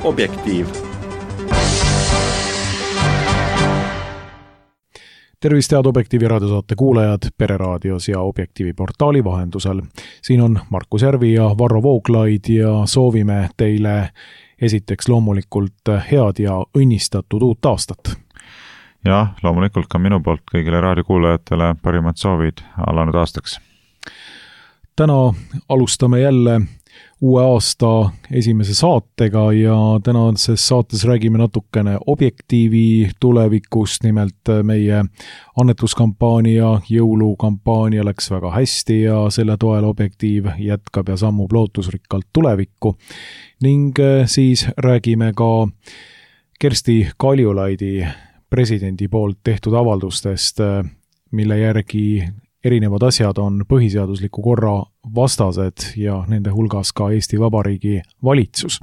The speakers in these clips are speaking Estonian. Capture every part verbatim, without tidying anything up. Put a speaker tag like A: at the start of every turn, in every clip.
A: Objektiiv.
B: Tervist head Objektiivi raadiosaate kuulajad Pereraadios ja Objektiivi portaali vahendusel. Siin on Markus Järvi ja Varro Vooglaid ja soovime teile esiteks loomulikult head ja õnnistatud uut aastat.
C: Ja loomulikult ka minu poolt kõigile raadiokuulajatele parimad soovid alanud aastaks.
B: Täna alustame jälle uue aasta esimese saatega ja tänases saates räägime natukene Objektiivi tulevikust, nimelt meie annetuskampaania, jõulukampaania läks väga hästi ja selle toel Objektiiv jätkab ja sammub lootusrikkalt tulevikku. Ning siis räägime ka Kersti Kaljulaidi presidendi poolt tehtud avaldustest, mille järgi erinevad asjad on põhiseadusliku korra vastased ja nende hulgas ka Eesti Vabariigi valitsus,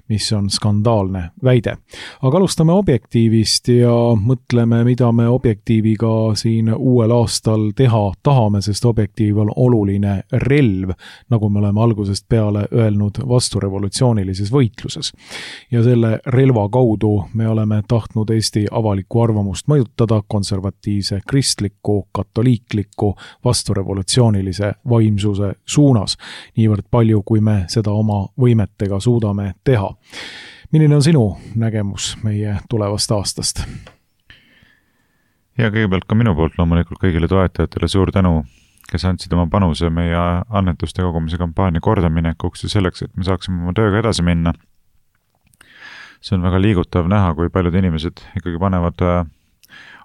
B: mis on skandaalne väide. Aga alustame Objektiivist ja mõtleme, mida me Objektiiviga siin uuel aastal teha tahame, sest Objektiiv on oluline relv, nagu me oleme algusest peale öelnud vasturevolutsioonilises võitluses. Ja selle relva kaudu me oleme tahtnud Eesti avalikku arvamust mõjutada konservatiivse, kristliku, katoliikliku, vasturevolutsioonilise vaimsuse suunas, niivõrd palju, kui me seda oma võimetega suudame teha. Milline on sinu nägemus meie tulevast aastast?
C: Ja kõigepealt ka minu poolt loomulikult kõigile toetajatele suur tänu, kes andsid oma panuse meie annetuste kogumise kampaania kordaminekuks ja selleks, et me saaksime oma tööga edasi minna. See on väga liigutav näha, kui paljud inimesed ikkagi panevad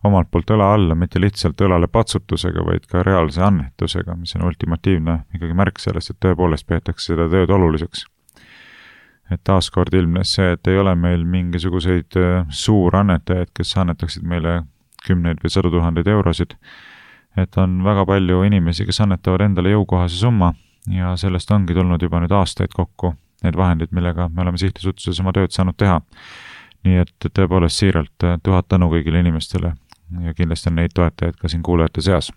C: omalt poolt õla alla, mitte lihtsalt õlale patsutusega, vaid ka reaalse annetusega, mis on ultimatiivne ikkagi märk sellest, et tõepoolest peetakse seda tööd oluliseks. Et taaskord ilmnes see, et ei ole meil mingisuguseid suurannetajaid, kes annetaksid meile kümneid või sadu tuhandeid eurosid. Et on väga palju inimesi, kes annetavad endale jõukohase summa ja sellest ongi tulnud juba nüüd aastaid kokku need vahendid, millega me oleme sihtasutuses oma tööd saanud teha. Nii et tõepoolest siiralt tuhat tänu kõigile inimestele ja kindlasti on neid toetajaid ka siin kuulajate seas.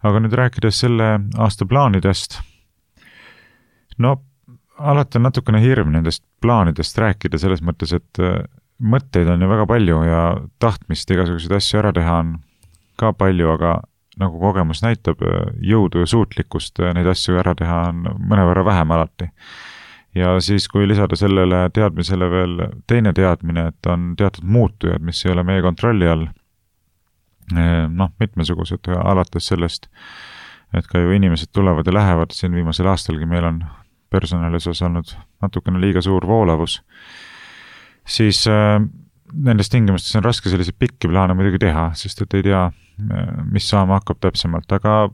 C: Aga nüüd rääkides selle aasta plaanidest, no alati on natukene hirm nendest plaanidest rääkida selles mõttes, et mõtteid on ju väga palju ja tahtmist igasuguseid asju ära teha on ka palju, aga nagu kogemus näitab, jõudu ja suutlikkust neid asju ära teha on mõnevõrra vähem alati. Ja siis, kui lisada sellele teadmisele veel teine teadmine, et on teatud muutujad, mis ei ole meie kontrolli all, noh, mitmesugused alates sellest, et ka ju inimesed tulevad ja lähevad, siin viimasel aastalgi meil on personalises olnud natukene liiga suur voolavus, siis äh, nendes tingimustes on raske selliseid pikki plaane muidugi teha, sest et ei tea, mis saama hakkab täpsemalt, aga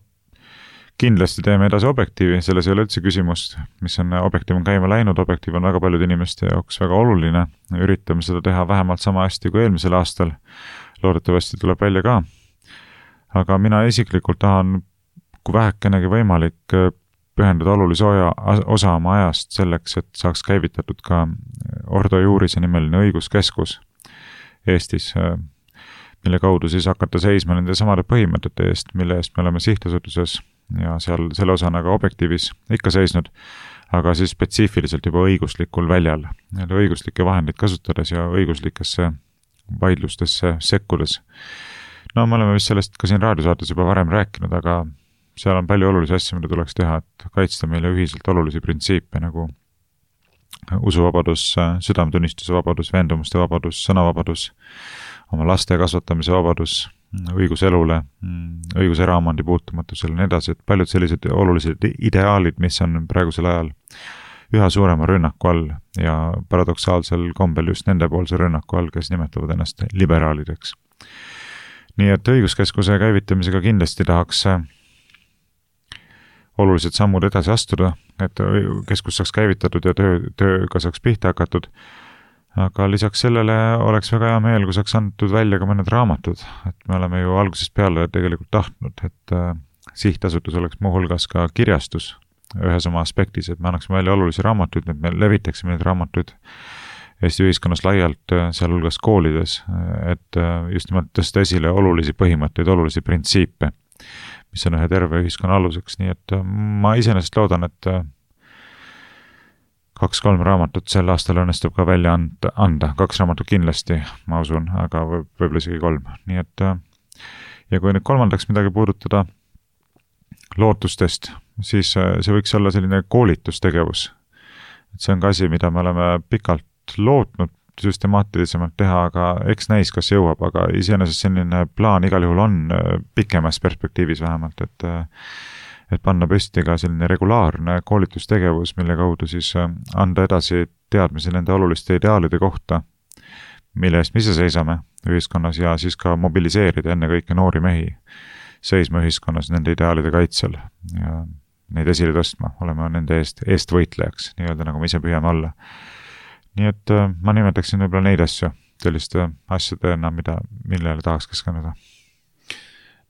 C: kindlasti teeme edasi Objektiivi, selles ei ole üldse küsimust, mis on Objektiiv on käima läinud, Objektiiv on väga paljude inimeste jaoks väga oluline, üritame seda teha vähemalt sama hästi kui eelmisel aastal, loodetavasti tuleb välja ka. Aga mina isiklikult tahan, kui vähekenegi võimalik, pühendada olulise osa oma ajast selleks, et saaks käivitatud ka Ordo Juurise nimeline õiguskeskus Eestis, mille kaudu siis hakata seisma nende samade põhimõtete eest, mille eest me oleme sihtasutuses ja seal selle osana ka Objektiivis ikka seisnud, aga siis spetsiifiliselt juba õiguslikul väljal, õiguslikke vahendeid kasutades ja õiguslikesse vaidlustesse sekkudes. No me oleme vist sellest ka siin raadiosaates juba varem rääkinud, aga seal on palju olulisi asju, mida tuleks teha, et kaitsta meile ühiselt olulisi printsiipe nagu usuvabadus, südametunnistuse vabadus, veendumuste vabadus, sõnavabadus, oma laste kasvatamise vabadus, õigus elule, õigus eraomandi puutumatusele, nii edasi, et paljud sellised olulised ideaalid, mis on praegusel ajal üha suurema rünnaku all ja paradoksaalsel kombel just nende poolse rünnaku all, kes nimetavad ennast liberaalideks. Nii et õiguskeskuse käivitamisega kindlasti tahaks olulised sammud edasi astuda, et keskus saaks käivitatud ja töö, tööga saaks pihta hakatud. Aga lisaks sellele oleks väga hea meel, kui saaks antud välja ka mõned raamatud, et me oleme ju algusest peale tegelikult tahtnud, et sihtasutus oleks muu hulgas ka kirjastus ühes oma aspektis, et me annaksime välja olulisi raamatuid, et me levitaksime neid raamatuid Eesti ühiskonnas laialt, seal hulgas koolides, et just nimelt tõsta esile olulisi põhimõtteid, olulisi printsiipe, mis on ühe terve ühiskonna aluseks, nii et ma iseenesest loodan, et kaks-kolm raamatut sel aastal õnnestub ka välja anda, anda. Kaks raamatut kindlasti, ma usun, aga võib, võib-olla isegi kolm. Nii et, ja kui nüüd kolmandaks midagi puudutada lootustest, siis see võiks olla selline koolitustegevus. Et see on ka asi, mida me oleme pikalt lootnud süstemaatilisemalt teha, aga eks näis, kas jõuab, aga iseenesest selline plaan igal juhul on pikemas perspektiivis vähemalt, et et panna püsti ka selline regulaarne koolitustegevus, mille kaudu siis anda edasi teadmisi nende oluliste ideaalide kohta, mille eest me ise seisame ühiskonnas ja siis ka mobiliseerida enne kõike noori mehi seisma ühiskonnas nende ideaalide kaitsel ja neid esile tõstma, olema nende eest, eest võitlejaks, nii-öelda nagu me ise püüame olla. Nii et ma nimetaksin võib-olla neid asju selliste asjadena, mida, millele tahaks keskenduda.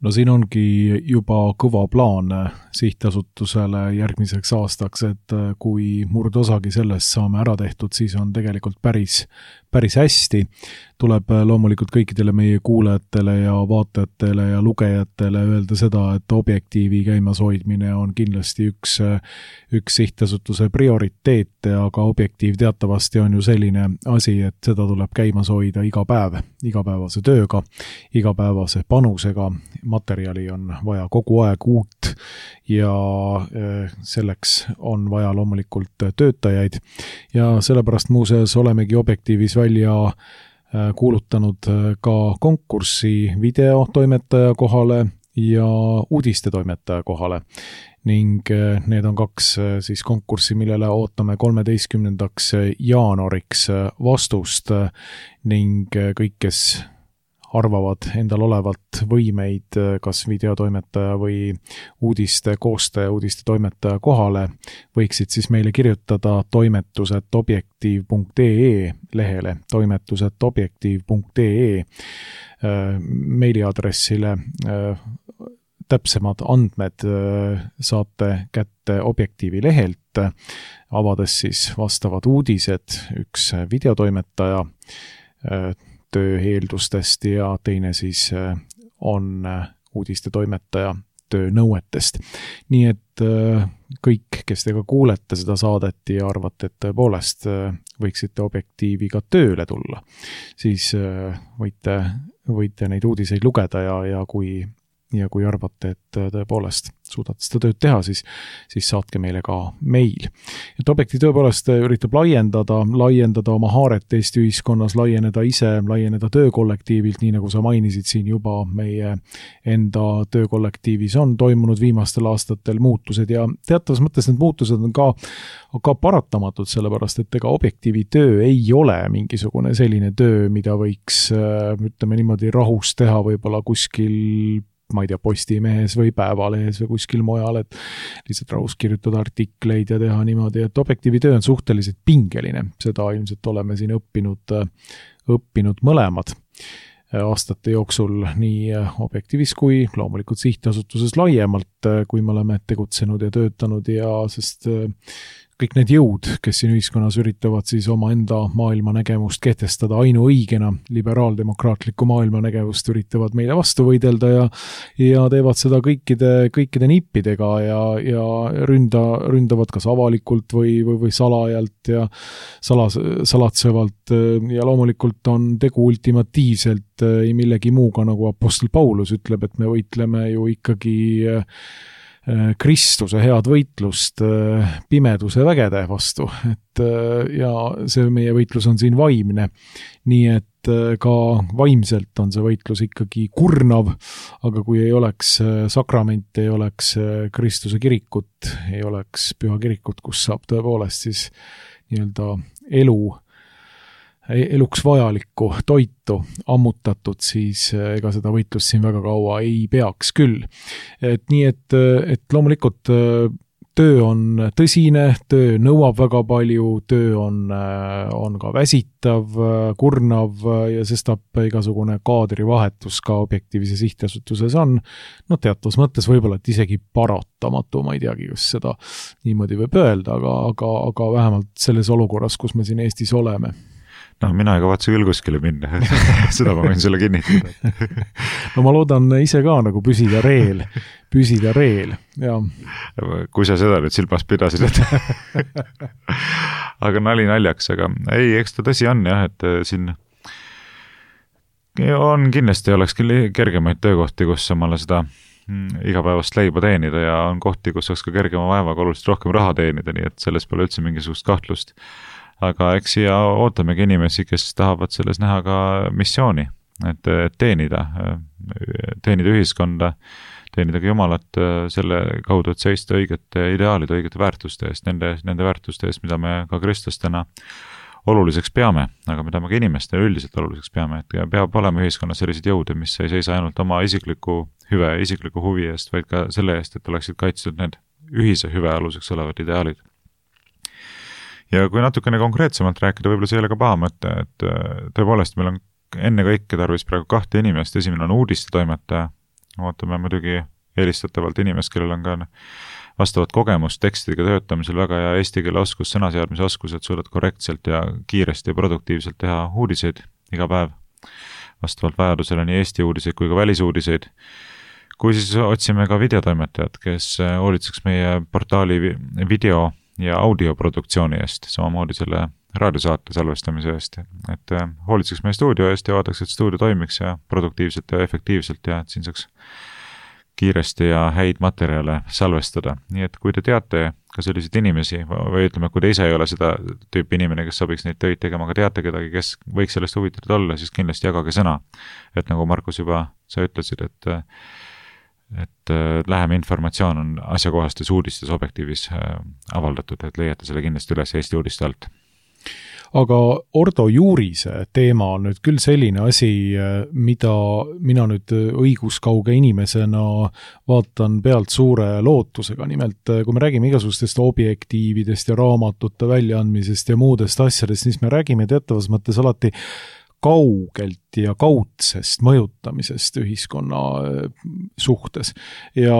B: No siin ongi juba kõva plaan sihtasutusele järgmiseks aastaks, et kui murdosagi sellest saame ära tehtud, siis on tegelikult päris, päris hästi. Tuleb loomulikult kõikidele meie kuulajatele ja vaatajatele ja lugejatele öelda seda, et objektiivi käimas hoidmine on kindlasti üks, üks sihtasutuse prioriteete, aga objektiiv teatavasti on ju selline asi, et seda tuleb käimas hoida iga päev, igapäevase tööga, igapäevase panusega. Materjali on vaja kogu aeg uut ja selleks on vaja loomulikult töötajaid ja sellepärast muuseas olemegi objektiivis välja kuulutanud ka konkurssi videotoimetaja kohale ja uudistetoimetaja kohale ning need on kaks siis konkurssi, millele ootame kolmeteistkümnendaks jaanuariks vastust ning kõik, kes arvavad endal olevat võimeid kas videotoimetaja või uudiste koostaja, uudiste toimetaja kohale, võiksid siis meile kirjutada toimetuset objektiiv punkt ee lehele, toimetuset objektiiv punkt ee meiliaadressile. Täpsemad andmed saate kätte objektiivi lehelt, avades siis vastavad uudised, üks videotoimetaja töö eeldustest ja teine siis on uudiste toimetaja töö nõuetest. Nii et kõik, kes te ka kuulete seda saadet ja arvate, et tõepoolest võiksite objektiiviga tööle tulla, siis võite, võite neid uudiseid lugeda ja, ja kui ja kui arvate, et tõepoolest suudate seda tööd teha, siis, siis saatke meile ka meil. Et objekti tõepoolest üritab laiendada, laiendada oma haaret Eesti ühiskonnas, laieneda ise, laieneda töökollektiivilt, nii nagu sa mainisid siin juba meie enda töökollektiivis on toimunud viimastel aastatel muutused ja teatavas mõttes need muutused on ka, ka paratamatud, sellepärast et ega objektiivi töö ei ole mingisugune selline töö, mida võiks, ütleme niimoodi, rahus teha võib-olla kuskil ma ei tea, Postimehes või Päevalehes või kuskil mujal, et lihtsalt rahus kirjutada artikleid ja teha niimoodi, et objektiivi töö on suhteliselt pingeline. Seda ilmselt oleme siin õppinud, õppinud mõlemad aastate jooksul nii objektiivis kui loomulikult sihtasutuses laiemalt, kui me oleme tegutsenud ja töötanud ja sest kõik need jõud, kes siin ühiskonnas üritavad siis oma enda maailmanägemust kehtestada ainuõigena, liberaaldemokraatlikku maailmanägemust üritavad meile vastu võidelda ja, ja teevad seda kõikide, kõikide nippidega ja, ja ründa, ründavad kas avalikult või, või, või salajalt ja salas, salatsevalt ja loomulikult on tegu ultimatiivselt millegi muuga, nagu apostel Paulus ütleb, et me võitleme ju ikkagi Kristuse head võitlust pimeduse vägede vastu, et ja see meie võitlus on siin vaimne, nii et ka vaimselt on see võitlus ikkagi kurnav, aga kui ei oleks sakramente, ei oleks Kristuse kirikut, ei oleks püha kirikut, kus saab tõepoolest siis nii-öelda elu eluks vajalikku toitu ammutatud, siis ega seda võitlust siin väga kaua ei peaks küll. Et nii, et, et loomulikult töö on tõsine, töö nõuab väga palju, töö on, on ka väsitav, kurnav ja sestap igasugune kaadrivahetus ka objektiivse sihtasutuses on, no teatavas mõttes võib-olla, et isegi paratamatu, ma ei teagi, kas seda niimoodi võib öelda, aga, aga, aga vähemalt selles olukorras, kus me siin Eestis oleme.
C: noh, mina ei kavatse küll kuskile minna, seda ma võin sulle kinnitada.
B: No ma loodan ise ka nagu püsida reel, püsida reel, ja.
C: Kui sa seda nüüd silmas pidasid, et aga nali naljaks, aga ei, eks ta tõsi on jah, et siin on kindlasti oleks kergemaid töökohti, kus omale seda igapäevast leiba teenida ja on kohti, kus saaks ka kergema vaevaga oluliselt rohkem raha teenida, nii et selles pole üldse mingisugust kahtlust. Aga eks siia ootamegi inimesi, kes tahavad selles näha ka missiooni, et teenida, teenida ühiskonda, teenida ka Jumalat selle kaudu, et seista õigete ideaalide, õigete väärtuste eest, nende, nende väärtuste eest, mida me ka kristlastena oluliseks peame, aga mida me ka inimestele üldiselt oluliseks peame, et peab olema ühiskonnas sellised jõude, mis ei seisa ainult oma isikliku hüve, isikliku huvi eest, vaid ka selle eest, et oleksid kaitstud need ühise hüve aluseks olevad ideaalid. Ja kui natukene konkreetsemalt rääkida, võib-olla see ei ole ka paha mõte, et tõepoolest meil on enne kõike tarvis praegu kahte inimest, esimene on uudiste toimetaja, ootame muidugi eelistatavalt inimest, kellel on ka vastavat kogemust tekstidega töötamisel väga ja eesti keele oskus, sõnaseadmise oskus, et suudad korrektselt ja kiiresti ja produktiivselt teha uudiseid iga päev, vastavalt vajadusele nii Eesti uudiseid kui ka välisuudiseid. Kui siis otsime ka videotoimetajad, kes hoolitseks meie portaali video- ja audioproduktsiooni eest, samamoodi selle raadiosaate salvestamise eest, et hoolitseks meie stuudio eest ja vaataks, et stuudio toimiks ja produktiivselt ja efektiivselt ja et siin saaks kiiresti ja häid materjale salvestada. Nii et kui te teate ka selliseid inimesi või ütleme, kui te ise ei ole seda tüüpi inimene, kes sobiks neid töid tegema, aga teate kedagi, kes võiks sellest huvitatud olla, siis kindlasti jagage sõna. Et nagu Markus juba sa ütlesid, et, et lähem informatsioon on asjakohastes uudistes objektiivis avaldatud, et leiate selle kindlasti üles Eesti uudiste alt.
B: Aga Ordo Juurise teema on nüüd küll selline asi, mida mina nüüd õiguskauge inimesena vaatan pealt suure lootusega. Nimelt, kui me räägime igasugustest objektiividest ja raamatute väljaandmisest ja muudest asjadest, siis me räägime teatavas mõttes alati kaugelt ja kaudsest mõjutamisest ühiskonna suhtes. Ja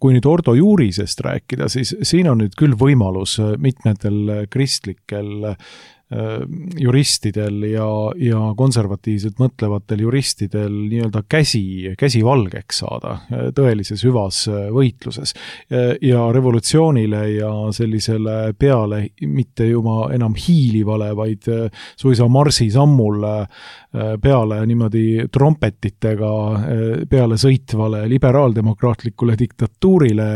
B: kui nüüd Ordo Juurisest rääkida, siis siin on nüüd küll võimalus mitmetel kristlikel juristidel ja, ja konservatiivselt mõtlevatel juristidel nii-öelda käsi, käsi valgeks saada tõelises hüvas võitluses. Ja revolutsioonile ja sellisele peale mitte juba enam hiilivale, vaid suisa marsisammul peale niimoodi trompetitega peale sõitvale liberaaldemokraatlikule diktatuurile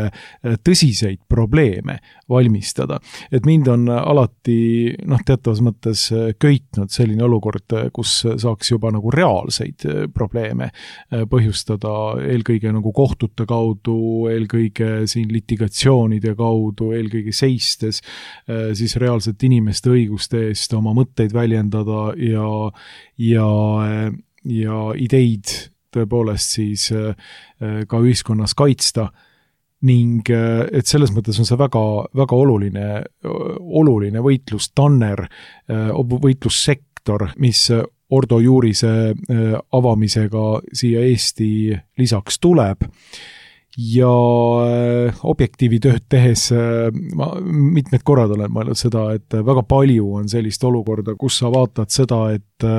B: tõsiseid probleeme valmistada. Et mind on alati, noh, teatavas mõttes köitnud selline olukord, kus saaks juba nagu reaalseid probleeme põhjustada eelkõige nagu kohtute kaudu, eelkõige siin litigatsioonide kaudu, eelkõige seistes siis reaalselt inimeste õiguste eest oma mõtteid väljendada ja, ja, ja ideid tõepoolest siis ka ühiskonnas kaitsta. Ning et selles mõttes on see väga, väga oluline, oluline võitlustanner, võitlussektor, mis Ordo Juurise avamisega siia Eesti lisaks tuleb. Ja objektiivi tööd tehes ma mitmed korrad olen mõelnud seda, et väga palju on sellist olukorda, kus sa vaatad seda, et,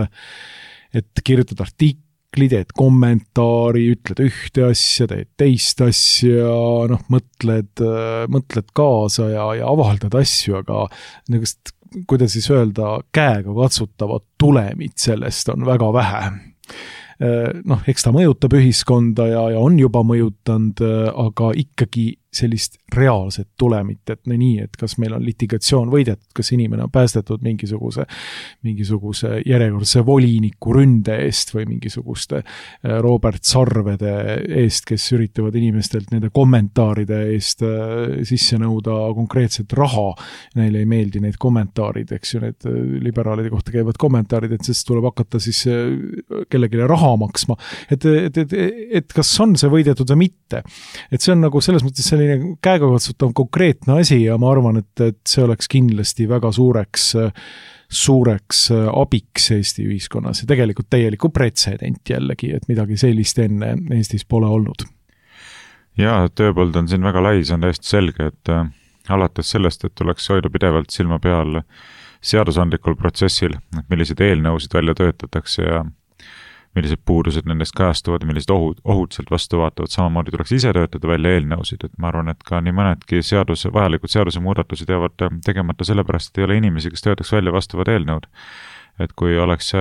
B: et kirjutad artik, teed kommentaari, ütled ühte asja, teed teist asja, noh, mõtled, mõtled kaasa ja, ja avaldad asju, aga nendest, kuidas siis öelda, käega katsutavat tulemit sellest on väga vähe. Noh, eks ta mõjutab ühiskonda ja, ja on juba mõjutanud, aga ikkagi sellist reaalset tulemit, et no nii, et kas meil on litigatsioon võidetud, kas inimene on päästetud mingisuguse, mingisuguse järjekordse voliniku ründe eest või mingisuguste Robert Sarvede eest, kes üritavad inimestelt nende kommentaaride eest sisse nõuda konkreetset raha. Neile ei meeldi need kommentaarid, eks ju, need liberaalide kohta käivad kommentaarid, et sest tuleb hakata siis kellegile raha maksma. Et, et, et, et kas on see võidetud või mitte? Et see on nagu selles mõttes selline käega katsutav konkreetne asi ja ma arvan, et, et see oleks kindlasti väga suureks, suureks abiks Eesti ühiskonnas ja tegelikult täieliku pretsedent jällegi, et midagi sellist enne Eestis pole olnud.
C: Ja, tööpõld on siin väga lai, see on täiesti selge, et alates sellest, et tuleks hoida pidevalt silma peal seadusandlikul protsessil, et millised eelnõusid välja töötatakse ja millised puudused nendest kajastuvad, millised ohud, ohud sealt vastu vaatavad, samamoodi tuleks ise töötada välja eelnõusid, et ma arvan, et ka nii mõnedki seaduse, vajalikud seaduse muudatused jäävad tegemata sellepärast, et ei ole inimesi, kes töötaks välja vastavad eelnõud. Et kui oleks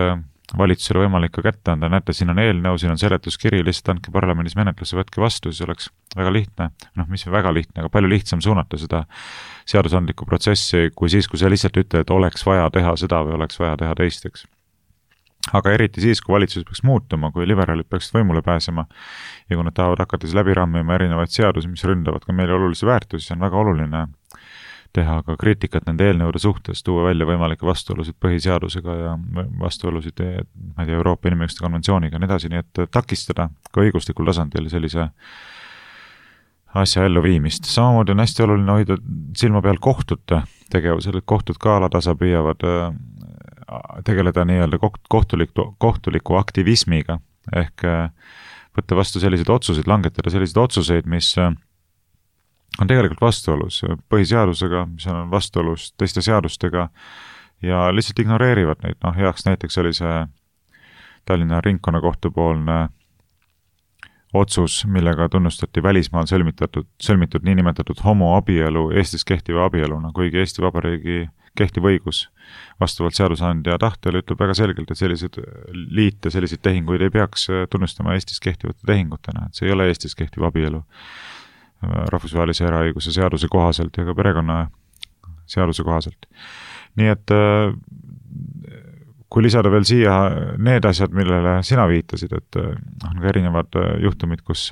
C: valitsusele võimalik ka kätte anda, näete, siin on eelnõu, siin on seletuskiri, lihtsalt andke parlamendis menetlusse, võtke vastu, siis oleks väga lihtne, noh, mis on väga lihtne, aga palju lihtsam suunata seda seadusandlikku protsessi, kui siis, kui sa lihtsalt ütled, et oleks vaja teha seda või oleks vaja teha teisteks. Aga eriti siis, kui valitsus peaks muutuma, kui liberaalid peaksid võimule pääsema ja kui nad tahavad hakata siis läbi rammima erinevaid seadusi, mis ründavad ka meile olulisi väärtusi, on väga oluline teha ka kriitikat nende eelnõude suhtes, tuua välja võimalikke vastuolusid põhiseadusega ja vastuolusid ma ei tea, Euroopa Inimõiguste konventsiooniga ja nii edasi, nii et takistada ka õiguslikul tasandil sellise asja elluviimist. Samamoodi on hästi oluline hoida silma peal kohtute tegevusel, et kohtud ka alatasa püüavad tegeleda nii-öelda kohtuliku, kohtuliku aktivismiga ehk võtta vastu selliseid otsuseid, langetada selliseid otsuseid, mis on tegelikult vastuolus põhiseadusega, mis on vastuolus teiste seadustega ja lihtsalt ignoreerivad neid. Noh, heaks näiteks oli see Tallinna ringkonnakohtu poolne otsus, millega tunnustati välismaal sõlmitatud, sõlmitud niinimetatud homoabielu Eestis kehtiva abieluna, kuigi Eesti Vabariigi kehtiv õigus vastavalt seadusandja tahtele ütleb väga selgelt, et sellised liite, selliseid tehinguid ei peaks tunnustama Eestis kehtivate tehingutena, et see ei ole Eestis kehtiv abielu rahvusvahelise eraõiguse seaduse kohaselt ja ka perekonna seaduse kohaselt. Nii et kui lisada veel siia need asjad, millele sina viitasid, et on ka erinevad juhtumid, kus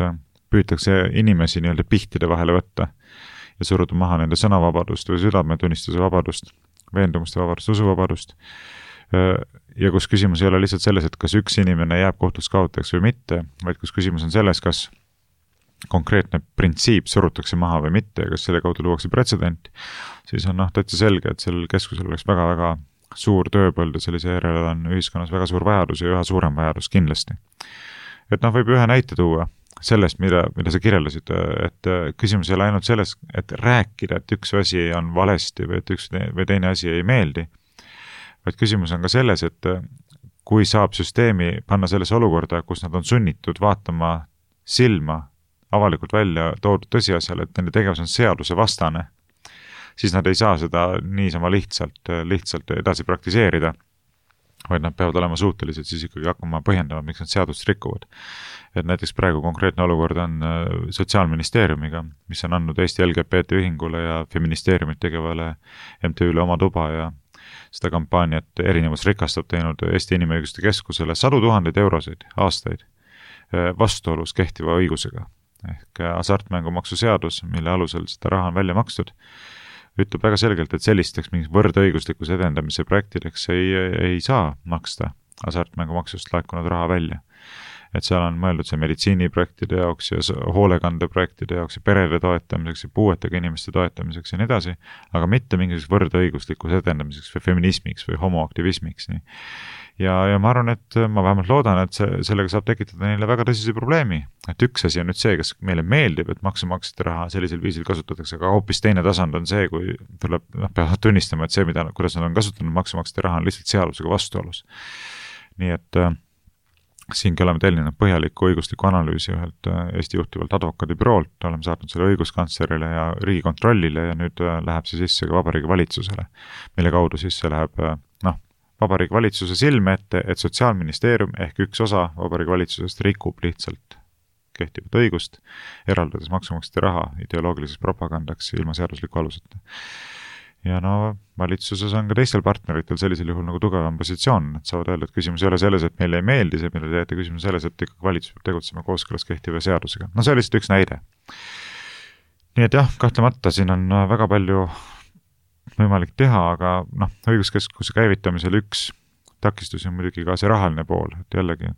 C: püütakse inimesi nii-öelda pihtide vahele võtta ja suruda maha nende sõnavabadust või südametunnistuse vabadust, veendumuste vabadust, usuvabadust. Ja kus küsimus ei ole lihtsalt selles, et kas üks inimene jääb kohtus kaotajaks või mitte, vaid kus küsimus on selles, kas konkreetne printsiip surutakse maha või mitte ja kas selle kaudu luuakse pretsedent, siis on noh, täitsa selge, et sellel keskusel oleks väga-väga suur tööpõld ja sellise järele on ühiskonnas väga suur vajadus ja üha suurem vajadus kindlasti. Et noh, võib ühe näite tuua sellest, mida, mida sa kirjeldasid, et küsimus ei ole ainult selles, et rääkida, et üks asi on valesti või et üks või teine asi ei meeldi, vaid küsimus on ka selles, et kui saab süsteemi panna selles olukorda, kus nad on sunnitud vaatama silma avalikult välja toodud tõsiasjale, et nende tegevus on seaduse vastane, siis nad ei saa seda niisama lihtsalt, lihtsalt edasi praktiseerida, vaid nad peavad olema suutelised siis ikkagi hakkama põhjendama, miks nad seadust rikuvad. Et näiteks praegu konkreetne olukord on Sotsiaalministeeriumiga, mis on andnud Eesti L G B T ühingule ja feministeeriumit tegevale M T Üle oma tuba ja seda kampaaniat erinevus rikastab teinud Eesti Inimõiguste Keskusele sadu tuhandeid euroseid aastaid vastuolus kehtiva õigusega. Ehk hasartmängumaksu seadus, mille alusel seda raha on välja makstud, ütleb väga selgelt, et sellisteks mingis võrdõiguslikus edendamise projektideks ei, ei saa maksta hasartmängumaksust laekunud raha välja. Et seal on mõeldud see meditsiiniprojektide jaoks ja hoolekandeprojektide jaoks ja perede toetamiseks ja puuetega inimeste toetamiseks ja nii edasi, aga mitte mingisuguseks võrdõiguslikus edendamiseks või feminismiks või homoaktivismiks. Nii. Ja, ja ma arvan, et ma vähemalt loodan, et see, sellega saab tekitada neile väga tõsise probleemi. Et üks asi on nüüd see, kas meile meeldib, et maksumaksjate raha sellisel viisil kasutatakse, aga hoopis teine tasand on see, kui tuleb, noh, peavad tunnistama, et see, mida, kuidas nad on kasutanud maksumaksjate raha, on lihtsalt seadusega vastuolus. Nii et äh, siingi oleme tellinud põhjaliku õigusliku analüüsi ühelt Eesti juhtivalt advokaadibüroolt, oleme saatnud selle õiguskantslerile ja Riigikontrollile ja nüüd läheb see sisse ka Vabariigi Valitsusele, mille kaudu siis see läheb, noh, Vabariigi Valitsuse silme ette, et Sotsiaalministeerium ehk üks osa Vabariigi Valitsusest rikub lihtsalt kehtivat õigust, eraldades maksumaksjate raha ideoloogiliseks propagandaks ilma seadusliku aluseta. Ja no valitsuses on ka teistel partneritel sellisel juhul nagu tugevam positsioon, et saavad öelda, et küsimus ei ole selles, et meile ei meeldi see, mille teete, küsimus selles, et ikkagi valitsus peab tegutsema kooskõlas kehtiva seadusega. No see oli lihtsalt üks näide. Nii et jah, kahtlemata siin on väga palju võimalik teha, aga noh, õiguskeskuse käivitamisel üks takistus on muidugi ka see rahaline pool, et jällegi,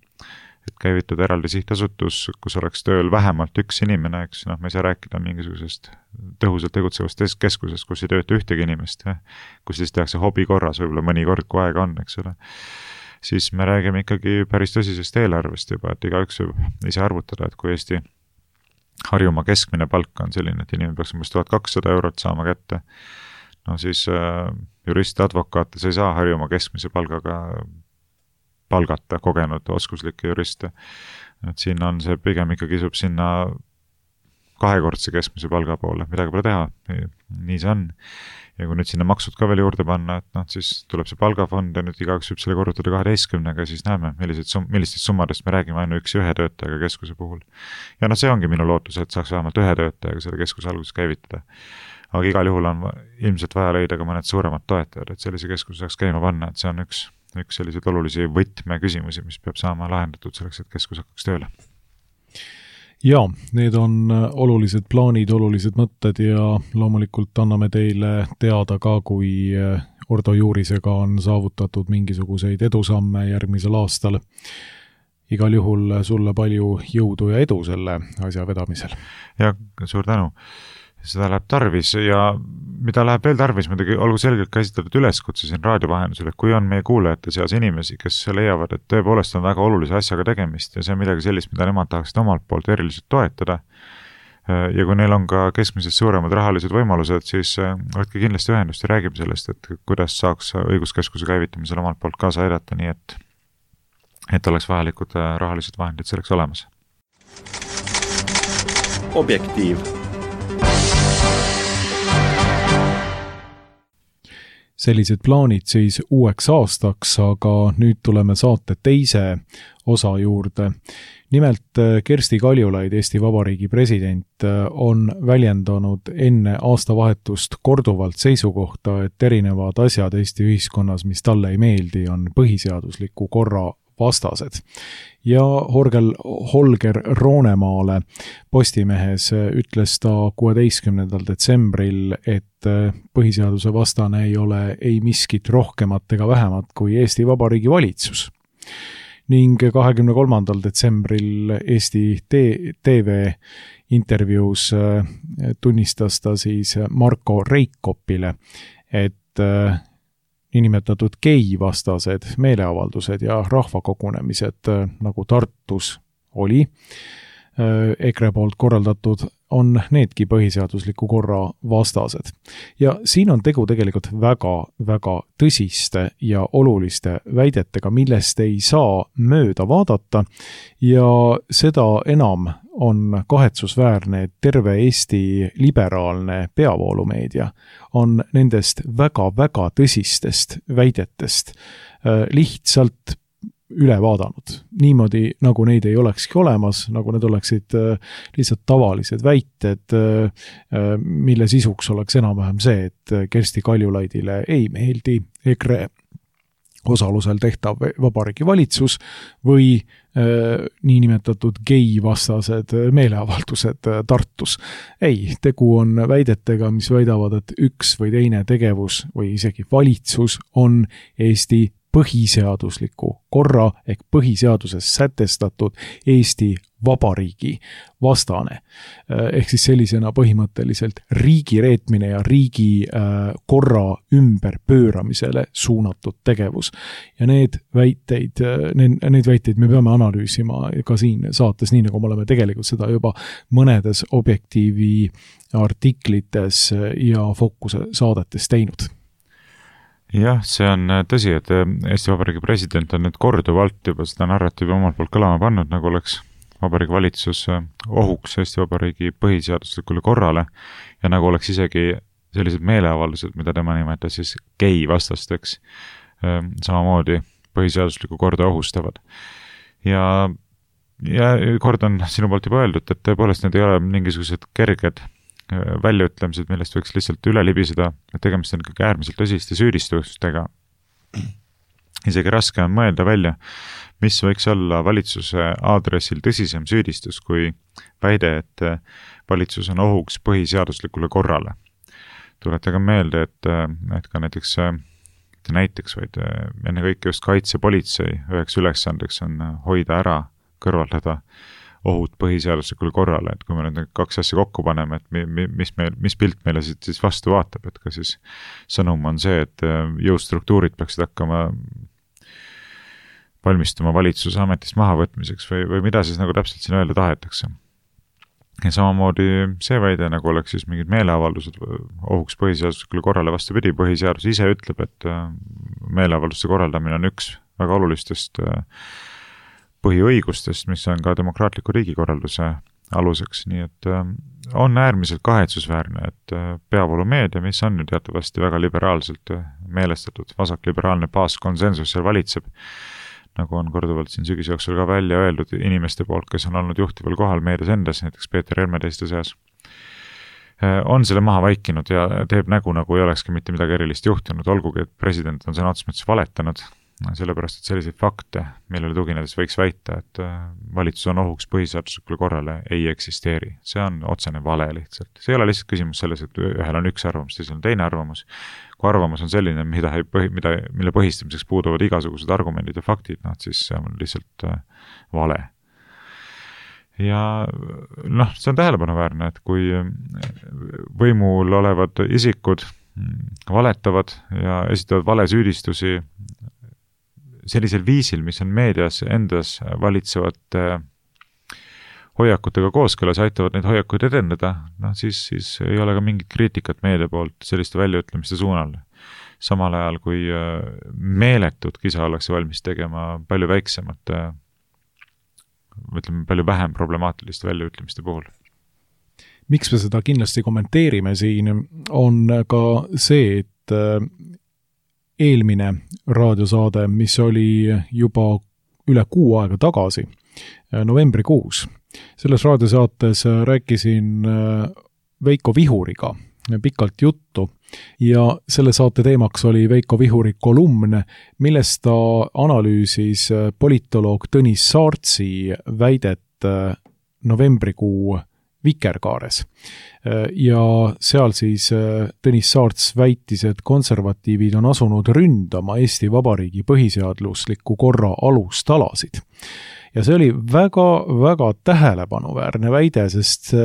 C: et käivitada eraldi sihtasutus, kus oleks tööl vähemalt üks inimene, eks noh, me ei saa rääkida mingisugusest tõhusalt tegutsevast keskusest, kus ei tööta ühtegi inimest, kus siis tehakse hobi korras, võib-olla mõni kord, kui aega on, eks ole. Siis me räägime ikkagi päris tõsisest eelarvest juba, et igaüks võib ise arvutada, et kui Eesti Harjumaa keskmine palk on selline, et inimene peaks umbes tuhat kakssada eurot saama kätte, no siis juriste, advokaate, sa ei saa Harjumaa keskmise palgaga palgata kogenud oskuslikke juriste. Et siin on see pigem ikka kisub sinna kahekordse keskmise palga poole, midagi pole teha, nii see on. Ja kui nüüd sinna maksud ka veel juurde panna, et noh, siis tuleb see palgafond ja nüüd igaüks võib selle korrutada kaheteistkümnega, siis näeme, millised sum, millistest summadest me räägime ainu üks ühe töötajaga keskuse puhul. Ja noh, see ongi minu lootus, et saaks vähemalt ühe töötajaga selle keskuse alguses käivitada. Aga igal juhul on ilmselt vaja leida ka mõned suuremad toetajad, et sellise keskuse saaks käima panna, et see on üks, üks selliseid olulisi võtme küsimusi, mis peab saama lahendatud selleks, et keskus hakkaks tööle.
B: Ja, need on olulised plaanid, olulised mõtted ja loomulikult anname teile teada ka, kui Ordo Juurisega on saavutatud mingisuguseid edusamme järgmisel aastal. Igal juhul sulle palju jõudu ja edu selle asja vedamisel.
C: Ja suur tänu. Seda läheb tarvis ja mida läheb veel tarvis, muidugi olgu selgelt käsitletud üleskutse siin raadiovahendusel, et kui on meie kuulajate seas inimesi, kes leiavad, et tõepoolest on väga olulise asjaga tegemist ja see on midagi sellist, mida nemad tahaksid omalt poolt eriliselt toetada ja kui neil on ka keskmisest suuremad rahalised võimalused, siis võtke kindlasti ühendust ja räägime sellest, et kuidas saaks õiguskeskuse käivitamisel omalt poolt kaasa aidata, nii et, et oleks vajalikud rahalised vahendid selleks olemas.
A: Objektiiv.
B: Sellised plaanid siis uueks aastaks, aga nüüd tuleme saate teise osa juurde. Nimelt Kersti Kaljulaid, Eesti Vabariigi president, on väljendanud enne aastavahetust korduvalt seisukohta, et erinevad asjad Eesti ühiskonnas, mis talle ei meeldi, on põhiseadusliku korra vastased. Ja Horgel, Holger Roonemaale Postimehes ütles ta kuueteistkümnendal detsembril, et põhiseaduse vastane ei ole ei miskit rohkemat ega vähemat kui Eesti Vabariigi valitsus. Ning kahekümne kolmandal detsembril Eesti T V intervjuus tunnistas ta siis Marko Reikopile, et niinimetatud gei-vastased meeleavaldused ja rahvakogunemised, nagu Tartus oli, EKRE poolt korraldatud, on needki põhiseadusliku korra vastased. Ja siin on tegu tegelikult väga, väga tõsiste ja oluliste väidetega, millest ei saa mööda vaadata ja seda enam on kahetsusväärne, et terve Eesti liberaalne peavoolumeedia on nendest väga-väga tõsistest väidetest lihtsalt üle vaadanud. Niimoodi, nagu neid ei olekski olemas, nagu need oleksid lihtsalt tavalised väited, mille sisuks oleks enam-vähem see, et Kersti Kaljulaidile ei meeldi EKRE osalusel tehtav Vabariigi valitsus või äh, niinimetatud gei-vastased meeleavaldused Tartus. Ei, tegu on väidetega, mis väidavad, et üks või teine tegevus või isegi valitsus on Eesti põhiseadusliku korra ehk põhiseaduses sätestatud Eesti Vabariigi vastane. Ehk siis sellisena põhimõtteliselt riigi reetmine ja riigi korra ümberpööramisele suunatud tegevus. Ja need väiteid, neid väiteid me peame analüüsima ka siin saates, nii nagu me oleme tegelikult seda juba mõnedes Objektiivi artiklites ja Fookuse saadetes teinud.
C: Jah, see on tõsi, et Eesti Vabariigi president on nüüd korduvalt juba seda narratiivi omalt poolt kõlama pannud, nagu oleks Vabariigi valitsus ohuks Eesti Vabariigi põhiseaduslikule korrale ja nagu oleks isegi sellised meeleavaldused, mida tema nimetas siis gei vastasteks, samamoodi põhiseaduslikku korda ohustavad. Ja, ja kord on sinu poolt juba öeldud, et tõepoolest need ei ole mingisugused kerged väljaütlemised, millest võiks lihtsalt üle libiseda, et tegemist on ikkagi äärmiselt tõsiste süüdistustega. Isegi raske on mõelda välja, mis võiks olla valitsuse aadressil tõsisem süüdistus kui väide, et valitsus on ohuks põhiseaduslikule korrale. Tuletage meelde, et, et ka näiteks, näiteks vaid enne kõik just kaitsepolitsei üheks ülesandeks on hoida ära, kõrvaldada ohud põhiseaduslikule korrale, et kui me nüüd kaks asja kokku paneme, et mis, meil, mis pilt meile siis vastu vaatab, et ka siis sõnum on see, et jõustruktuurid peaksid hakkama valmistuma valitsuse ametist mahavõtmiseks või, või mida siis nagu täpselt siin öelda tahetakse. ja samamoodi see väide, nagu oleks siis mingid meeleavaldused ohuks põhiseaduslikule korrale, vastupidi, põhiseadus ise ütleb, et meeleavalduste korraldamine on üks väga olulistest põhiõigustest, mis on ka demokraatliku riigikorralduse aluseks, nii et on äärmiselt kahetsusväärne, et peavoolumeedia, mis on nüüd teatavasti väga liberaalselt meelestatud, vasakliberaalne baaskonsensus seal valitseb, nagu on korduvalt siin sügise jooksul ka välja öeldud inimeste poolt, kes on olnud juhtival kohal meedias endas, näiteks Peeter Helme teiste seas, on selle maha vaikinud ja teeb nägu, nagu ei olekski mitte midagi erilist juhtunud, olgugi, et president on sõna otseses mõttes valetanud, sellepärast, et selliseid fakte, millele tuginedes võiks väita, et valitsus on ohuks põhiseaduslikule korrale, ei eksisteeri. See on otsene vale lihtsalt. See ei ole lihtsalt küsimus selles, et ühel on üks arvamus, teisel on teine arvamus. Kui arvamus on selline, mida ei põhi, mida, mille põhistamiseks puuduvad igasugused argumendid ja faktid, noh, siis see on lihtsalt vale. Ja noh, see on tähelepanuväärne, et kui võimul olevad isikud valetavad ja esitavad valesüüdistusi sellisel viisil, mis on meedias endas valitsevate hoiakutega kooskõlas, aitavad neid hoiakuid edendada, noh siis, siis ei ole ka mingit kriitikat meedia poolt selliste väljaütlemiste suunal. Samal ajal, kui meeletut kisa ollakse valmis tegema palju väiksemate, ütleme, palju vähem problemaatiliste väljaütlemiste puhul.
B: Miks me seda kindlasti kommenteerime siin, on ka see, et eelmine raadiosaade, mis oli juba üle kuu aega tagasi, novembrikuus. Selles raadiosaates rääkisin Veiko Vihuriga pikalt juttu ja selle saate teemaks oli Veiko Vihuri kolumn, millest ta analüüsis politoloog Tõnis Saartsi väidet novembrikuu Vikerkaares. Ja seal siis Tõnis Saarts väitis, et konservatiivid on asunud ründama Eesti Vabariigi põhiseadusliku korra alustalasid. Ja see oli väga, väga tähelepanuväärne väide, sest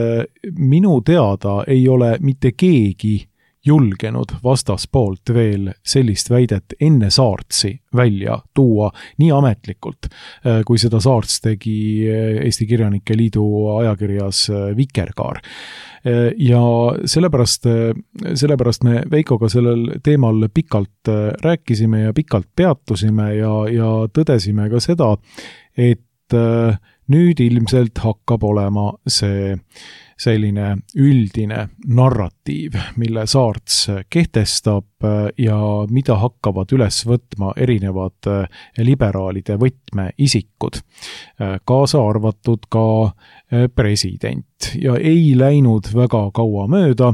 B: minu teada ei ole mitte keegi julgenud vastaspoolt veel sellist väidet enne Saartsi välja tuua nii ametlikult, kui seda Saarts tegi Eesti Kirjanike Liidu ajakirjas Vikerkaar. Ja sellepärast, sellepärast me Veikoga sellel teemal pikalt rääkisime ja pikalt peatusime ja, ja tõdesime ka seda, et nüüd ilmselt hakkab olema see selline üldine narratiiv, mille Saarts kehtestab ja mida hakkavad üles võtma erinevad liberaalide võtmeisikud, kaasa arvatud ka president. Ja ei läinud väga kaua mööda,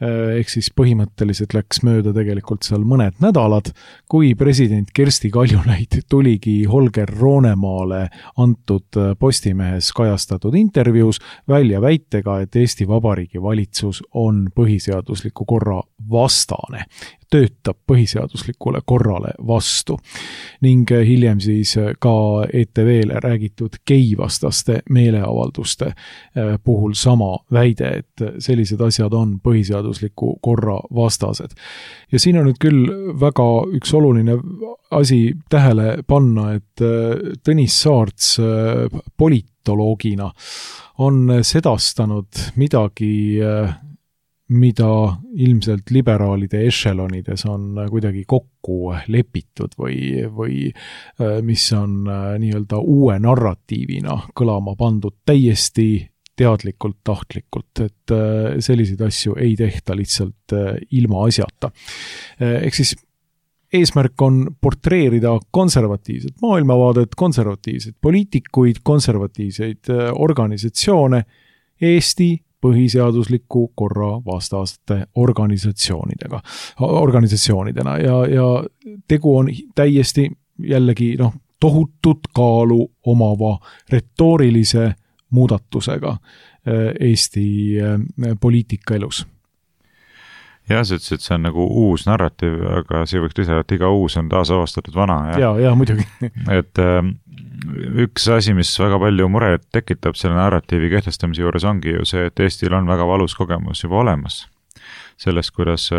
B: ehk siis põhimõtteliselt läks mööda tegelikult seal mõned nädalad, kui president Kersti Kaljulaid tuligi Holger Roonemaale antud Postimehes kajastatud intervjuus välja väitega, et Eesti Vabariigi valitsus on põhiseadusliku korra vastane, töötab põhiseaduslikule korrale vastu. Ning hiljem siis ka E T V-le räägitud geivastaste meeleavalduste puhul sama väide, et sellised asjad on põhiseadusliku korra vastased. Ja siin on nüüd küll väga üks oluline asi tähele panna, et Tõnis Saarts politoloogina on sedastanud midagi, mida ilmselt liberaalide ešelonides on kuidagi kokku lepitud või, või mis on nii-öelda uue narratiivina kõlama pandud täiesti teadlikult, tahtlikult, et selliseid asju ei tehta lihtsalt ilma asjata. Ehk siis eesmärk on portreerida konservatiivset maailmavaadet, konservatiivseid poliitikuid, konservatiivseid organisatsioone Eesti põhiseadusliku korra vastaste organisatsioonidega, organisatsioonidena ja, ja tegu on täiesti jällegi noh, tohutut kaalu omava retoorilise muudatusega Eesti poliitikaelus.
C: Jah, see ütles, et see on nagu uus narratiiv, aga see võiks lisada, et iga uus on taas avastatud vana.
B: Ja, ja, ja muidugi.
C: Et üks asi, mis väga palju muret tekitab selle narratiivi kehtestamise juures ongi ju see, et Eestil on väga valus kogemus juba olemas. Sellest, kuidas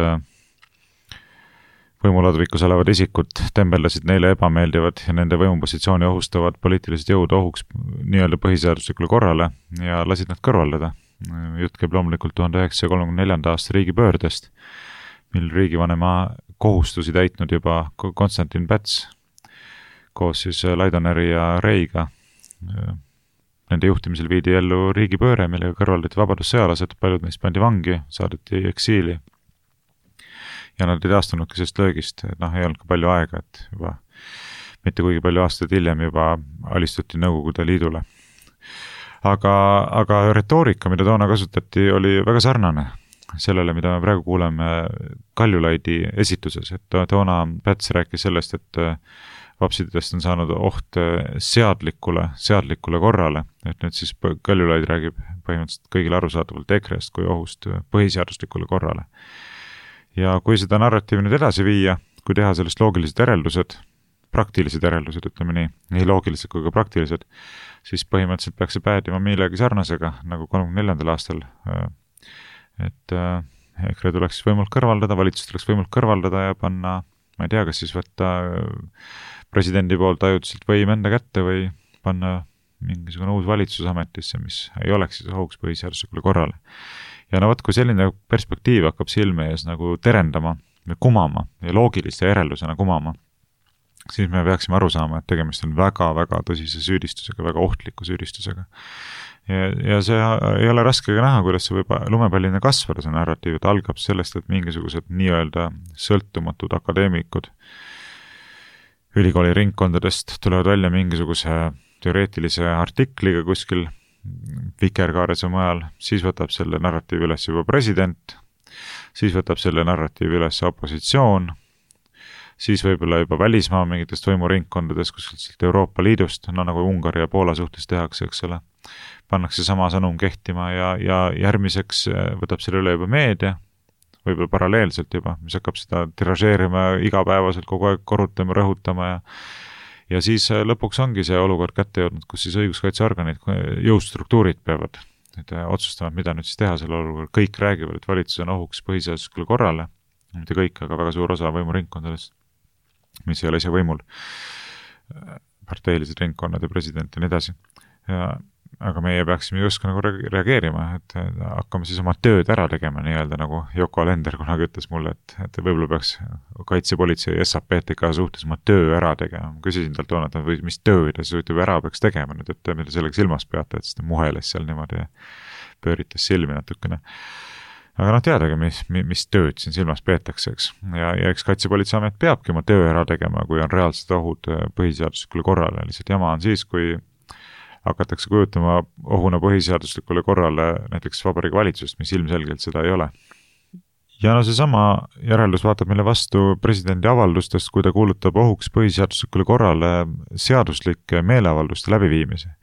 C: võimuladvikus olevad isikud tembeldasid neile ebameeldivad ja nende võimupositsiooni ohustavad poliitilised jõud ohuks nii-öelda põhiseaduslikule korrale ja lasid nad kõrvaldada. Jutt käib loomulikult tuhande üheksasaja kolmekümne neljanda aasta riigipöördest, mil riigivanema kohustusi täitnud juba Konstantin Päts koos siis Laidoneri ja Reiga. Nende juhtimisel viidi ellu riigipööre, millega kõrvaldati vabadussõjalased, paljud neist pandi vangi, saadeti eksiili ja nad ei taastunudki sellest löögist, et noh, ei olnud ka palju aega, et juba mitte kuigi palju aastaid hiljem juba alistuti Nõukogude Liidule. Aga, aga retoorika, mida toona kasutati, oli väga sarnane sellele, mida me praegu kuuleme Kaljulaidi esituses, et toona Päts rääkis sellest, et vapsidest on saanud oht seadlikule, seadlikule korrale, et nüüd siis Kaljulaid räägib põhimõtteliselt kõigile arusaadavalt E K R E-st kui ohust põhiseaduslikule korrale. Ja kui seda narratiivi nüüd edasi viia, kui teha sellest loogilised järeldused, praktilised järeldused, ütleme nii, nii loogilised kui ka praktilised, siis põhimõtteliselt peaks see päädima millegi sarnasega, nagu kolmekümne neljandal aastal, et E K R E tuleks võimult kõrvaldada, valitsus tuleks võimult kõrvaldada ja panna, ma ei tea, kas siis võtta presidendi poolt ajutiselt võim enda kätte või panna mingisugune uus valitsusametisse, mis ei oleks siis ohuks põhiseaduslikule korrale. Ja no võt, kui selline perspektiiv hakkab silme ees nagu terendama või kumama ja loogiliste järeldusena kumama, siis me peaksime aru saama, et tegemist on väga-väga tõsise süüdistusega, väga ohtliku süüdistusega. Ja, ja see ei ole raske ka näha, kuidas see võib lumepallina kasvada, see narratiiv, et algab sellest, et mingisugused nii-öelda sõltumatud akadeemikud ülikooli ringkondadest tulevad välja mingisuguse teoreetilise artikliga kuskil Vikerkaares või mujal, siis võtab selle narratiivi üles juba president, siis võtab selle narratiivi üles opositsioon, siis võib-olla juba välismaa mingitest võimuringkondadest kuskilt Euroopa Liidust, no nagu Ungari ja Poola suhtes tehakse, eks ole, pannakse sama sõnum kehtima ja, ja järgmiseks võtab selle üle juba meedia, võib-olla paralleelselt juba, mis hakkab seda tiražeerima igapäevaselt kogu aeg korrutama, rõhutama ja ja siis lõpuks ongi see olukord kätte jõudnud, kus siis õiguskaitseorganid, jõustruktuurid peavad et otsustama, mida nüüd siis teha selle olukorra. Kõik räägivad, et valitsus on ohuks põhiseaduslikule korrale, mitte kõik, aga väga suur osa võimuringkondadest, mis ei ole ise võimul, parteilised ringkonnad ja president ja nii edasi. Ja aga meie peaksime just nagu reageerima, et hakkame siis oma tööd ära tegema, nii-öelda nagu Yoko Alender kunagi ütles mulle, et, et võib-olla peaks kaitsepolitsei S A P T K suhtes oma töö ära tegema. Ma küsisin talt toona, et või mis töö ta siis ära peaks tegema nüüd, et mida selleks ilmas peate, et siis ta muheles seal niimoodi ja pööritas silmi natukene. Aga noh, teadagi, mis, mis tööd siin silmas peetakse, eks. Ja, ja eks kaitsepolitseiamet peabki oma töö ära tegema, kui on reaalsed ohud põhiseaduslikule korrale. Lihtsalt jama on siis, kui hakatakse kujutama ohuna põhiseaduslikule korrale näiteks Vabariigi Valitsust, mis ilmselgelt seda ei ole. Ja no see sama järeldus vaatab meile vastu presidendi avaldustest, kui ta kuulutab ohuks põhiseaduslikule korrale seaduslike meeleavalduste läbiviimise.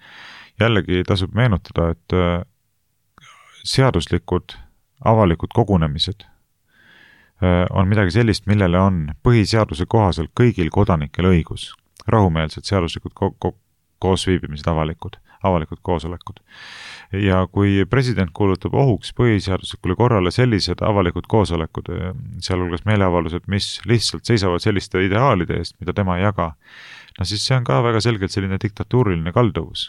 C: Jällegi tasub meenutada, et seaduslikud avalikud kogunemised on midagi sellist, millele on põhiseaduse kohaselt kõigil kodanikel õigus. Rahumeelsed seaduslikud ko- ko- koosviibimised avalikud, avalikud koosolekud. Ja kui president kuulutab ohuks põhiseaduslikule korrale sellised avalikud koosolekud, sealhulgas meeleavaldused, mis lihtsalt seisavad selliste ideaalide eest, mida tema ei jaga, no siis see on ka väga selgelt selline diktatuuriline kalduvus.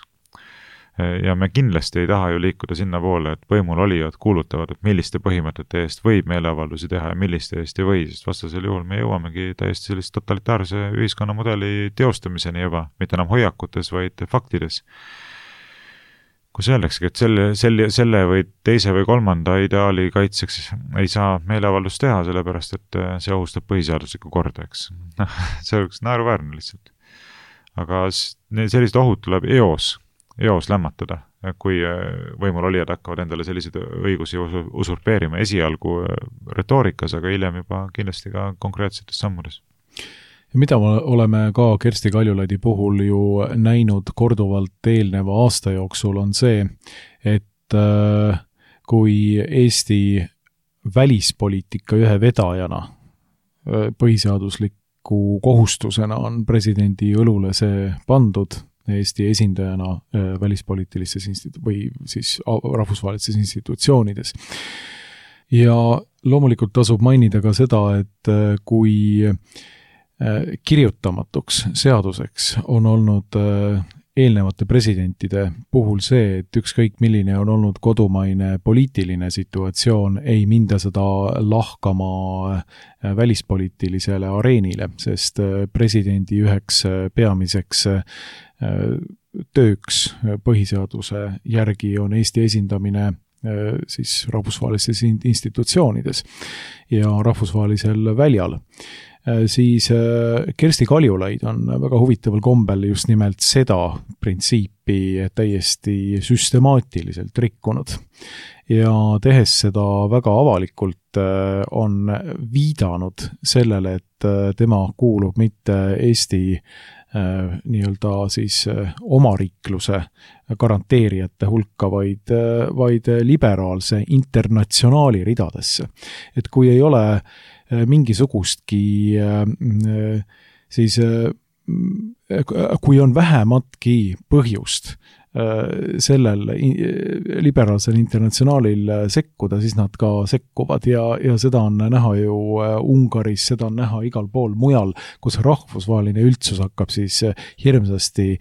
C: Ja me kindlasti ei taha ju liikuda sinna poole, et võimul olijad kuulutavad, et milliste põhimõtete eest võib meeleavaldusi teha ja milliste eest ei või, sest vastasel juhul me jõuamegi täiesti sellist totalitaarse ühiskonnamudeli teostamiseni juba, mitte enam hoiakutes, vaid faktides. Kus öeldaksegi, et selle, selle, selle või teise või kolmanda ideaali kaitseks ei saa meeleavaldust teha, sellepärast et see ohustab põhiseaduslikku korda, eks. See oleks naeruväärne lihtsalt. Aga sellised ohud tuleb eos eos lämmatada, kui võimul olijad hakkavad endale selliseid õigusi usurpeerima esialgu retoorikas, aga hiljem juba kindlasti ka konkreetsetes sammudes.
B: Ja mida me oleme ka Kersti Kaljulaidi puhul ju näinud korduvalt eelneva aasta jooksul on see, et kui Eesti välispoliitika ühe vedajana põhiseadusliku kohustusena on presidendi õlule see pandud, Eesti esindajana välispoliitilistes institu- või siis rahvusvahelistes institutsioonides. Ja loomulikult tasub mainida ka seda, et kui kirjutamatuks seaduseks on olnud eelnevate presidentide puhul see, et ükskõik milline on olnud kodumaine poliitiline situatsioon, ei minda seda lahkama välispoliitilisele areenile, sest presidendi üheks peamiseks tööks põhiseaduse järgi on Eesti esindamine siis rahvusvahelistes institutsioonides ja rahvusvahelisel väljal. Siis Kersti Kaljulaid on väga huvitaval kombel just nimelt seda printsiipi täiesti süstemaatiliselt rikkunud. Ja tehes seda väga avalikult on viidanud sellele, et tema kuulub mitte Eesti nii-öelda siis omariikluse garanteerijate hulka, vaid, vaid liberaalse internatsionaali ridadesse. Et kui ei ole mingisugustki siis kui on vähematki põhjust sellel liberaalsel internatsionaalil sekkuda, siis nad ka sekkuvad ja, ja seda on näha ju Ungaris, seda on näha igal pool mujal, kus rahvusvaheline üldsus hakkab siis hirmsasti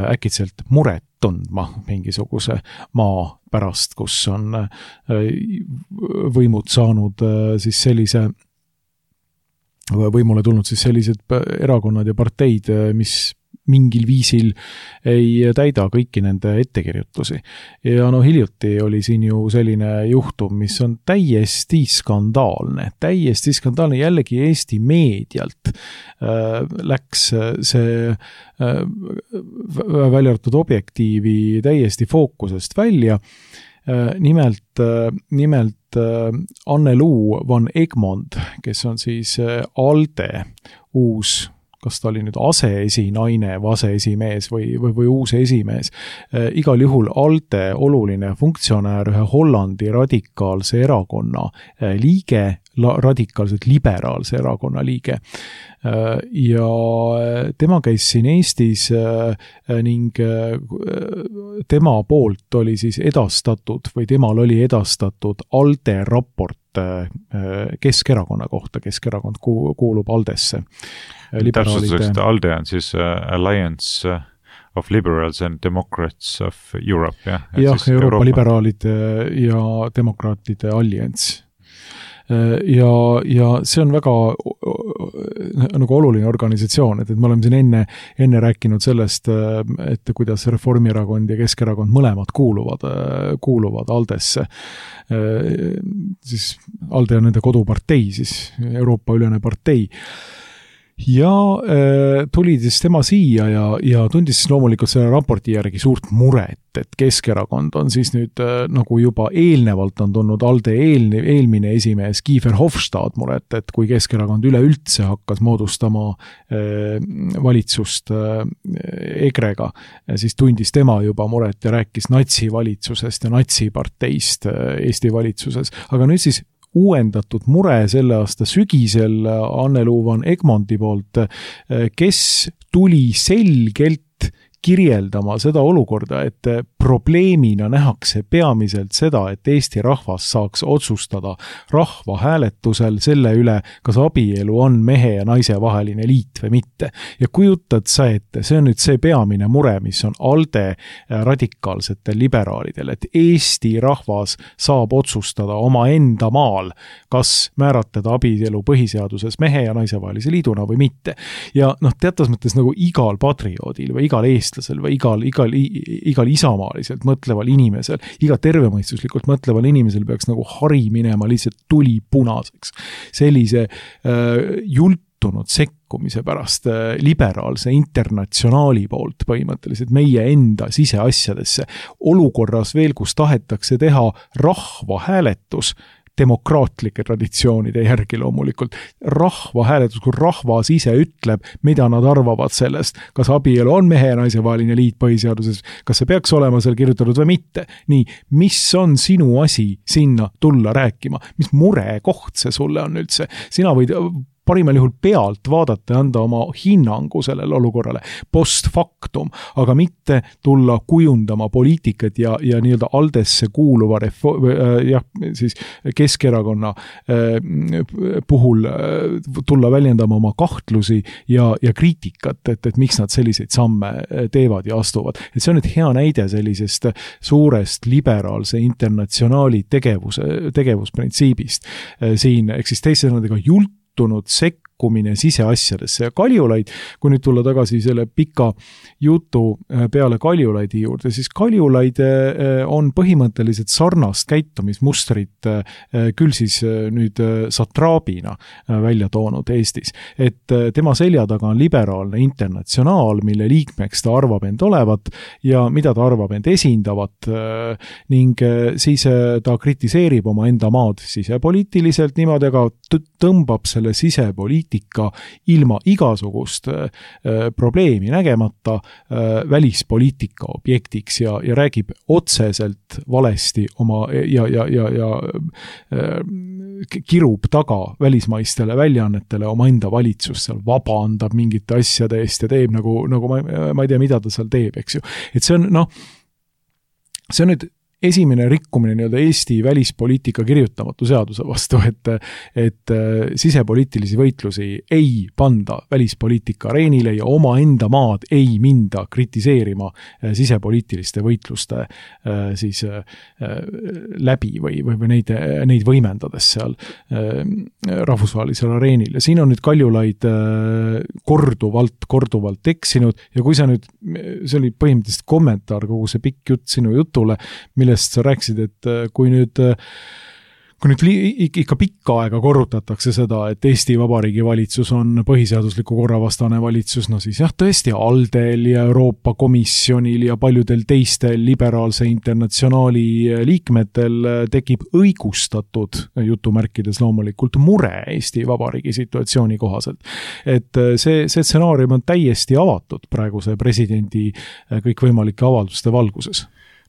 B: äkitselt muret tundma mingisuguse maa pärast, kus on võimud saanud siis sellise võimule tulnud siis sellised erakonnad ja parteid, mis mingil viisil ei täida kõiki nende ettekirjutusi. Ja no hiljuti oli siin ju selline juhtum, mis on täiesti skandaalne, täiesti skandaalne, jällegi Eesti meedialt äh, läks see äh, väljartud objektiivi täiesti fookusest välja. Äh, nimelt, äh, nimelt Anne-Luu van Egmond, kes on siis ALDE uus, kas ta oli nüüd aseesinaine või aseesimees või, või, või uus esimees. E, igal juhul ALDE oluline funktsionäär, ühe Hollandi radikaalse erakonna liige, la, radikaalselt liberaalse erakonna liige. E, ja tema käis siin Eestis e, ning tema poolt oli siis edastatud või temal oli edastatud ALDE raport Keskerakonna kohta. Keskerakond kuulub ALDEsse.
C: Täpsustuseks, ALDE on siis Alliance of Liberals and Democrats of Europe, jah?
B: Jah, Euroopa, Euroopa liberaalide ja demokraatide allianss. Ja, ja see on väga nagu oluline organisatsioon, et, et me oleme siin enne, enne rääkinud sellest, et kuidas Reformierakond ja Keskerakond mõlemad kuuluvad, kuuluvad ALDEsse. Siis ALDE on nende kodupartei, siis Euroopa ülene partei. Ja äh, tuli siis tema siia ja, ja tundis siis loomulikult selle raporti järgi suurt muret, et Keskerakond on siis nüüd äh, nagu juba eelnevalt on tulnud ALDE eelne, eelmine esimees Kiefer Hofstad muret, et kui Keskerakond üleüldse hakkas moodustama äh, valitsust äh, Egrega, siis tundis tema juba muret ja rääkis natsivalitsusest ja natsiparteist äh, Eesti valitsuses, aga nüüd siis uuendatud mure selle aasta sügisel Anne-Luu van Egmondi poolt, kes tuli selgelt kirjeldama seda olukorda, et probleemina nähakse peamiselt seda, et Eesti rahvas saaks otsustada rahvahääletusel selle üle, kas abielu on mehe ja naise vaheline liit või mitte. Ja kujutad sa ette, see on nüüd see peamine mure, mis on ALDE radikaalsetel liberaalidel, et Eesti rahvas saab otsustada oma enda maal, kas määratleda abielu põhiseaduses mehe ja naise vahelise liiduna või mitte. Ja noh, teatas mõttes nagu igal patrioodil või igal eestlasel või igal, igal, igal isamaaliselt mõtleval inimesel, iga tervemõistuslikult mõtleval inimesel peaks nagu hari minema lihtsalt tuli punaseks. Sellise äh, jultunud sekkumise pärast äh, liberaalse internatsionaali poolt põhimõtteliselt meie enda siseasjadesse olukorras veel, kus tahetakse teha rahvahääletus demokraatlike traditsioonide järgi loomulikult. Rahvahääletus, kui rahvas ise ütleb, mida nad arvavad sellest, kas abielu on mehe ja naise vaheline liit põhiseaduses, kas see peaks olema seal kirjutatud või mitte. Nii, mis on sinu asi sinna tulla rääkima? Mis mure koht see sulle on üldse? Sina võid parimal juhul pealt vaadata ja anda oma hinnangu sellele olukorrale post factum, aga mitte tulla kujundama poliitikat ja, ja nii-öelda Aldesse kuuluva refo- äh, jah, siis Keskerakonna äh, puhul äh, tulla väljendama oma kahtlusi ja, ja kriitikat, et, et miks nad selliseid samme teevad ja astuvad. Et see on nüüd hea näide sellisest suurest liberaalse internatsionaali tegevuse, tegevusprintsiibist. Siin eksisteerisid nendega jultunud sekkumine siseasjadesse ja Kaljulaid, kui nüüd tulla tagasi selle pika jutu peale Kaljulaidi juurde, siis Kaljulaid on põhimõtteliselt sarnast käitumismustrit küll siis nüüd satraabina välja toonud Eestis. Et tema selja taga on liberaalne internatsionaal, mille liikmeks ta arvab end olevat ja mida ta arvab end esindavat ning siis ta kritiseerib oma enda maad sisepoliitiliselt niimoodi, aga tõmbab selle sisepoliitika ilma igasugust äh, probleemi nägemata äh, välispoliitika objektiks ja, ja räägib otseselt valesti oma ja, ja, ja, ja äh, kirub taga välismaistele väljaannetele oma enda valitsust, seal vabandab mingite asjade eest ja teeb nagu, nagu ma, ma ei tea, mida ta seal teeb, eks ju. Et see on, noh, see on nüüd esimene rikkumine nii-öelda Eesti välispoliitika kirjutamatu seaduse vastu, et, et sisepoliitilisi võitlusi ei panda välispoliitika areenile ja oma enda maad ei minda kritiseerima sisepoliitiliste võitluste siis läbi või, või, või neid, neid võimendades seal rahvusvahelisel areenil. Ja siin on nüüd Kaljulaid korduvalt, korduvalt eksinud ja kui sa nüüd, see oli põhimõtteliselt kommentaar kogu see pikk jutt sinu jutule, millest sa rääkisid, et kui nüüd, kui nüüd ikka pikka aega korrutatakse seda, et Eesti Vabariigi valitsus on põhiseadusliku korravastane valitsus, no siis jah, tõesti Aldel ja Euroopa Komisjonil ja paljudel teistel liberaalse internatsionaali liikmetel tekib õigustatud jutumärkides loomulikult mure Eesti Vabariigi situatsiooni kohaselt. Et see, see stsenaarium on täiesti avatud praeguse presidendi kõikvõimalike avalduste valguses.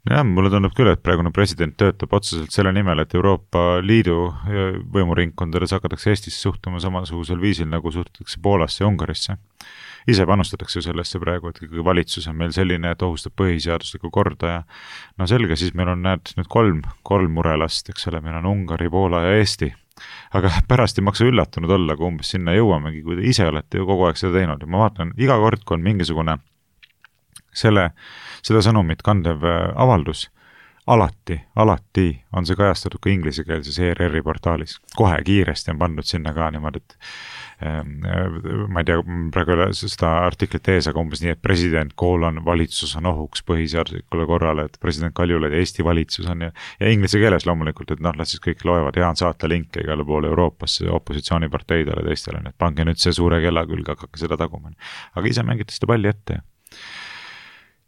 C: Jah, mulle tundub küll, et praegune president töötab otseselt selle nimel, et Euroopa Liidu võimuringkondades hakatakse Eestisse suhtuma samasugusel viisil, nagu suhtutakse Poolasse ja Ungarisse. Ise panustatakse sellesse praegu, et ikkagi valitsus on meil selline, et ohustab põhiseaduslikku korda ja no selge, siis meil on näed nüüd kolm, kolm murelast, eks ole, meil on Ungari, Poola ja Eesti. Aga pärast ei maksa üllatunud olla, kui umbes sinna jõuamegi, kui te ise olete ju kogu aeg seda teinud. Ja ma vaatan, iga kord, kui on mingisugune selle, seda sõnumit kandev avaldus, alati, alati on see kajastatud ka inglisekeelses E R R-i portaalis. Kohe kiiresti on pandud sinna ka niimoodi, et ma ei tea, praegu seda artiklit ees, aga umbes nii, et president koolon valitsus on ohuks põhiseaduslikule korrale, et president Kaljulaid ja Eesti valitsus on ja, ja inglise keeles loomulikult, et noh, las siis kõik loevad ja on saata linke igale poole Euroopasse opositsiooniparteidele teistele, et pange nüüd see suure kella külge, hakake seda taguma. Aga ise mängite seda palli ette.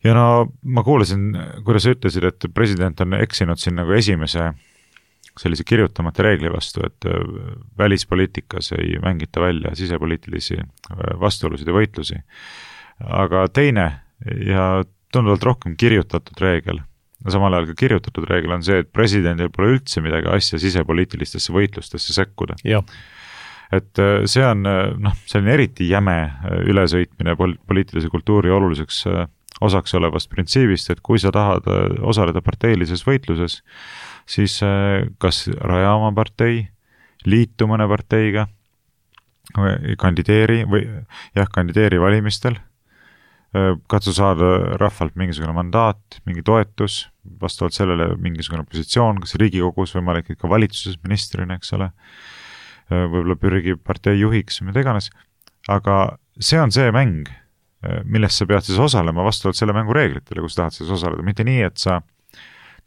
C: Ja no ma kuulasin, kuidas sa ütlesid, et president on eksinud siin nagu esimese sellise kirjutamata reegli vastu, et välispoliitikas ei mängita välja sisepoliitilisi vastuolusid ja võitlusi. Aga teine ja tunduvalt rohkem kirjutatud reegel, samal ajal ka kirjutatud reegel on see, et presidendil pole üldse midagi asja sisepoliitilistesse võitlustesse sekkuda.
B: Jah.
C: Et see on noh, selline eriti jäme ülesõitmine poliitilise kultuuri oluliseks osaks olevast printsiibist, et kui sa tahad osaleda parteilises võitluses, siis kas raja oma partei, liitu mõne parteiga, kandideeri või jah, kandideeri valimistel, katsu saada rahvalt mingisugune mandaat, mingi toetus, vastavalt sellele mingisugune positsioon, kas Riigikogus võimalik ka valitsuses ministrina, eks ole, võib-olla pürgi partei juhiks, mida iganes, aga see on see mäng, millest sa pead siis osalema vastavalt selle mängu reeglitele, kus tahad siis osaleda. Mitte nii, et sa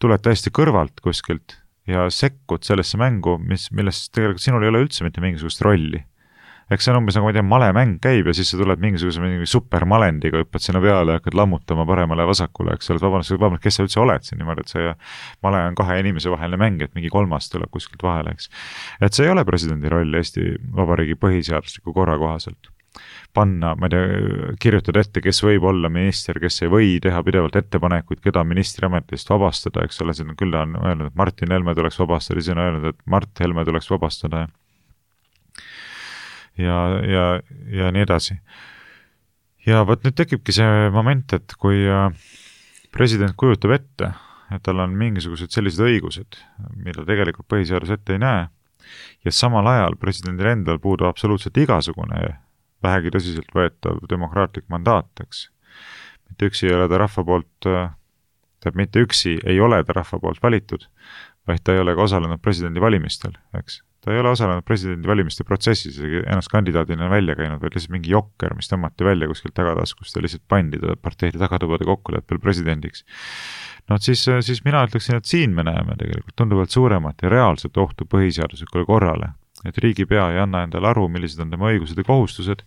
C: tuled täiesti kõrvalt kuskilt ja sekkud sellesse mängu, mis, millest tegelikult sinul ei ole üldse mitte mingisugust rolli. Eks see on umbes nagu, ma ei tea, malemäng käib ja siis sa tuled mingisuguse mingi supermalendiga, hüppad sinna peale ja hakkad lammutama paremale ja vasakule, eks oled vabandust, vabandust, kes sa üldse oled siin niimoodi, et see male on kahe inimese vaheline mäng, et mingi kolmas tuleb kuskilt vahele, eks. Et see ei ole presidendi roll Eesti Vabariigi põhiseadusliku korra kohaselt. Panna, ma ei tea, kirjutada ette, kes võib olla minister, kes ei või teha pidevalt ettepanekuid, keda ministri ametist vabastada, eks ole, siin küll on öelnud, et Martin Helme tuleks vabastada, siin on öelnud, et Mart Helme tuleks vabastada. ja, ja, ja nii edasi. Ja võt nüüd tekibki see moment, et kui president kujutab ette, et tal on mingisugused sellised õigused, mida tegelikult põhiseadus ette ei näe, ja samal ajal presidendil endal puudub absoluutselt igasugune vähegi tõsiselt võetav demokraatlik mandaat, eks. Mitte üksi ei ole ta rahva poolt, tähendab mitte üksi ei ole ta rahva poolt valitud, vaid ta ei ole ka osalenud presidendi valimistel, eks. Ta ei ole osalenud presidendi valimiste protsessis, ennast kandidaadina välja käinud, vaid lihtsalt mingi jokker, mis tõmmati välja kuskilt tagataskust ja lihtsalt pandi ta parteide tagatubade kokkuleppel presidendiks. No siis, siis mina ütleksin, et siin me näeme tegelikult tunduvalt suuremat ja reaalset ohtu põhiseaduslikule korrale, et riigipea ei anna endale aru, millised on tema õigused ja kohustused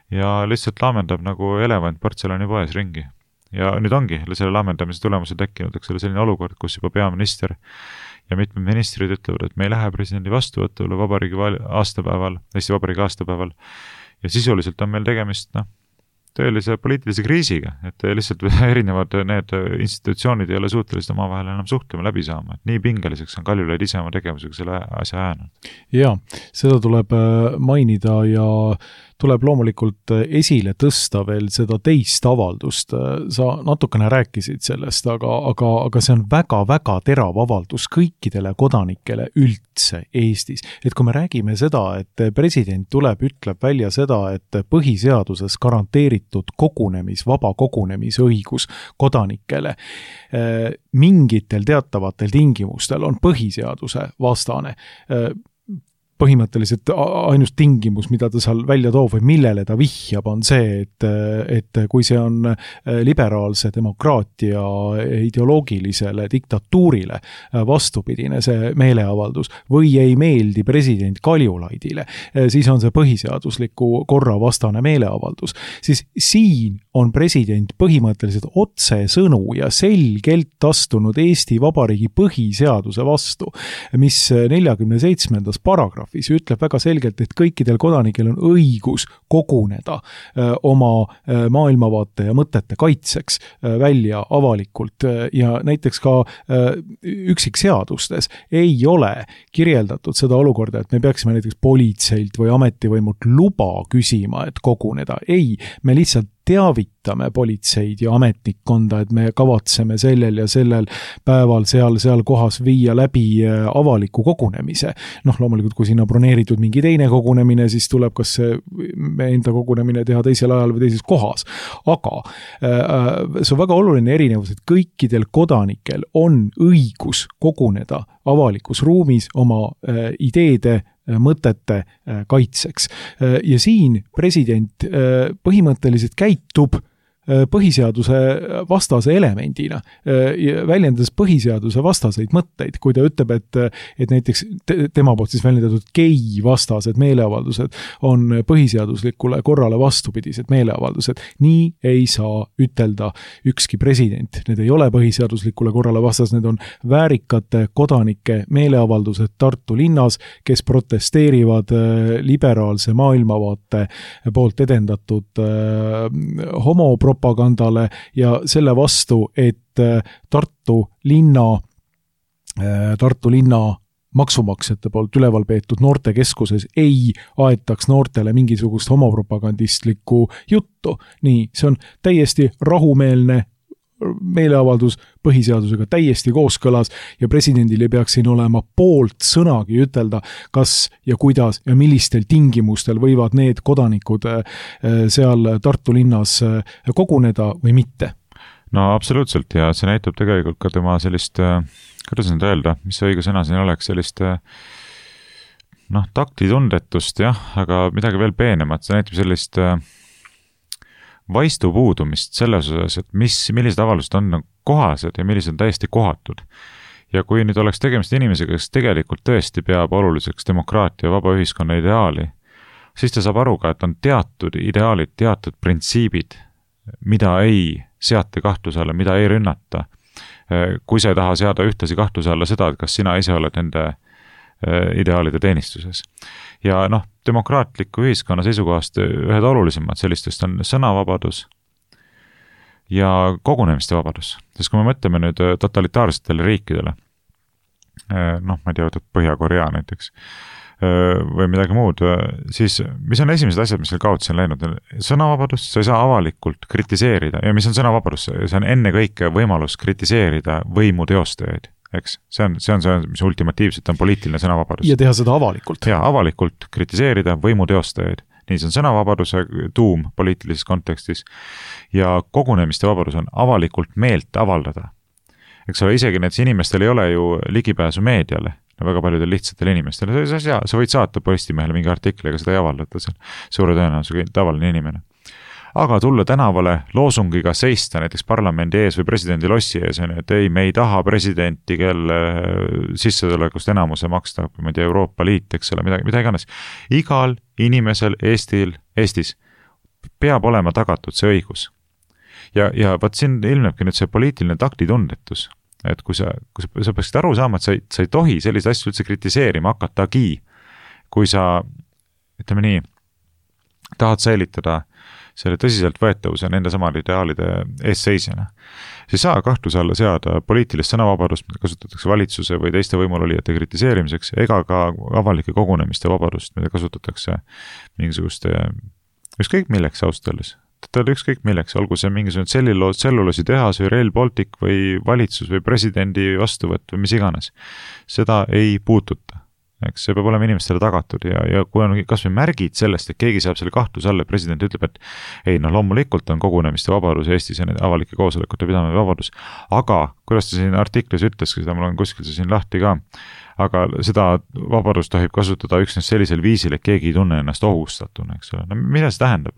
C: ja lihtsalt laamendab nagu elevant portselani poes ringi. Ja nüüd ongi selle laamendamise tulemusel tekkinud, eks ole, selline olukord, kus juba peaminister ja mitmed ministrid ütlevad, et me ei lähe presidendi vastuvõtule vabariigi aastapäeval, Eesti Vabariigi aastapäeval ja sisuliselt on meil tegemist, noh, tõelise poliitilise kriisiga, et lihtsalt erinevad need institutsioonid ei ole suutelised omavahel enam suhtlema läbi saama, et nii pingeliseks on Kaljulaid ise oma tegevusega selle asja äänud.
B: Jaa, seda tuleb mainida ja tuleb loomulikult esile tõsta veel seda teist avaldust. Sa natukene rääkisid sellest, aga, aga, aga see on väga-väga terav avaldus kõikidele kodanikele üldse Eestis. Et kui me räägime seda, et president tuleb, ütleb välja seda, et põhiseaduses garanteeritud kogunemis, vaba kogunemisõigus kodanikele mingitel teatavatel tingimustel on põhiseaduse vastane. Põhimõtteliselt ainus tingimus, mida ta seal välja toob või millele ta vihjab, on see, et, et kui see on liberaalse demokraatia ideoloogilisele diktatuurile vastupidine see meeleavaldus või ei meeldi president Kaljulaidile, siis on see põhiseadusliku korra vastane meeleavaldus. Siis siin on president põhimõtteliselt otsesõnu ja selgelt astunud Eesti Vabariigi põhiseaduse vastu, mis neljakümne seitsmendas paragrahv ütleb väga selgelt, et kõikidel kodanikel on õigus koguneda öö, oma öö, maailmavaate ja mõtete kaitseks öö, välja avalikult öö, ja näiteks ka öö, üksikseadustes ei ole kirjeldatud seda olukorda, et me peaksime näiteks politseilt või ametivõimult luba küsima, et koguneda. Ei, me lihtsalt teavitame politseid ja ametnikkonda, et me kavatseme sellel ja sellel päeval seal, seal kohas viia läbi avaliku kogunemise. Noh, loomulikult, kui sinna broneeritud mingi teine kogunemine, siis tuleb kas me enda kogunemine teha teisel ajal või teises kohas. Aga see on väga oluline erinevus, et kõikidel kodanikel on õigus koguneda avalikus ruumis oma ideede mõtete kaitseks. Ja siin president põhimõtteliselt käitub põhiseaduse vastase elemendina, väljendades põhiseaduse vastaseid mõtteid, kui ta ütleb, et, et näiteks tema poolt siis väljendatud gei vastased meeleavaldused on põhiseaduslikule korrale vastupidised meeleavaldused. Nii ei saa ütelda ükski president. Need ei ole põhiseaduslikule korrale vastas, need on väärikate kodanike meeleavaldused Tartu linnas, kes protesteerivad liberaalse maailmavaate poolt edendatud homopropagandale propagandale ja selle vastu, et Tartu linna, Tartu linna maksumaksjate poolt üleval peetud noortekeskuses ei aetaks noortele mingisugust homopropagandistlikku juttu. Nii, see on täiesti rahumeelne meeleavaldus põhiseadusega täiesti kooskõlas ja presidendil ei peaks siin olema poolt sõnagi ütelda, kas ja kuidas ja millistel tingimustel võivad need kodanikud seal Tartu linnas koguneda või mitte.
C: No absoluutselt ja see näitab tegelikult ka tema sellist, kuidas nüüd öelda, mis see õige sõna siin oleks, sellist noh, taktitundetust jah, aga midagi veel peenemat, see näitab sellist vaistu puudumist selles osas, et mis, millised avaldused on kohased ja millised on täiesti kohatud. Ja kui nüüd oleks tegemist inimesega, kes tegelikult tõesti peab oluliseks demokraatia ja vaba ühiskonna ideaali, siis ta saab aru ka, et on teatud ideaalid, teatud printsiibid, mida ei seata kahtluse alla, mida ei rünnata. Kui sa ei taha seada ühtlasi kahtluse alla seda, et kas sina ise oled nende ideaalide teenistuses. Ja noh, demokraatliku ühiskonna seisukohast ühed olulisemad sellistest on sõnavabadus ja kogunemiste vabadus. Sest kui me mõtleme nüüd totalitaarsetele riikidele, noh, ma ei tea, Põhja-Korea näiteks, või midagi muud, siis mis on esimesed asjad, mis seal kaotsi on läinud? Sõnavabadus, sa ei saa avalikult kritiseerida ja mis on sõnavabadus, see on enne kõike võimalus kritiseerida võimu teostajaid, eks? See on, see on see, mis ultimatiivselt on poliitiline sõnavabadus.
B: Ja teha seda avalikult.
C: Ja avalikult kritiseerida võimu teostajaid. Nii see on sõnavabaduse tuum poliitilises kontekstis ja kogunemiste vabadus on avalikult meelt avaldada. Eks ole, isegi need inimestel ei ole ju ligipääsu meediale, no väga paljudel lihtsatel inimestel. Sa, sa, sa võid saata Postimehele mingi artikli, aga seda ei avaldata seal suure tõenäosusega tavaline inimene. Aga tulla tänavale loosungiga seista näiteks parlamendi ees või presidendi lossi ees, et ei, me ei taha presidenti, kelle sissetulekust enamuse maksta, ma ei tea, Euroopa Liit, eks ole, midagi, mida iganes. Igal inimesel Eestil, Eestis peab olema tagatud see õigus. Ja, ja vaat siin ilmnebki nüüd see poliitiline taktitundetus, et kui sa, kui sa, sa peaksid aru saama, et sa ei, sa ei tohi selliseid asju üldse kritiseerima hakatagi, kui sa, ütleme nii, tahad säilitada selle tõsiselt võetavuse nende samade ideaalide eesseisjana, siis saa kahtluse alla seada poliitilist sõnavabadust, mida kasutatakse valitsuse või teiste võimulolijate kritiseerimiseks, ega ka avalike kogunemiste vabadust, mida kasutatakse mingisuguste, ükskõik milleks austalles. Ta oli ükskõik milleks, olgu see mingisugune tselluloos, tselluloosi tehas või Rail Baltic või valitsus või presidendi vastuvõtt või mis iganes. Seda ei puututa. Eks see peab olema inimestele tagatud ja, ja kui on kas või märgid sellest, et keegi saab selle kahtluse alla, president ütleb, et ei, no loomulikult on kogunemiste vabadus Eestis ja avalike koosolekute pidamine vabadus, aga kuidas ta siin artiklis ütles, seda mul on kuskil see siin lahti ka, aga seda vabadust tohib kasutada üksnes sellisel viisil, et keegi ei tunne ennast ohustatuna, eks ole. No mida see tähendab?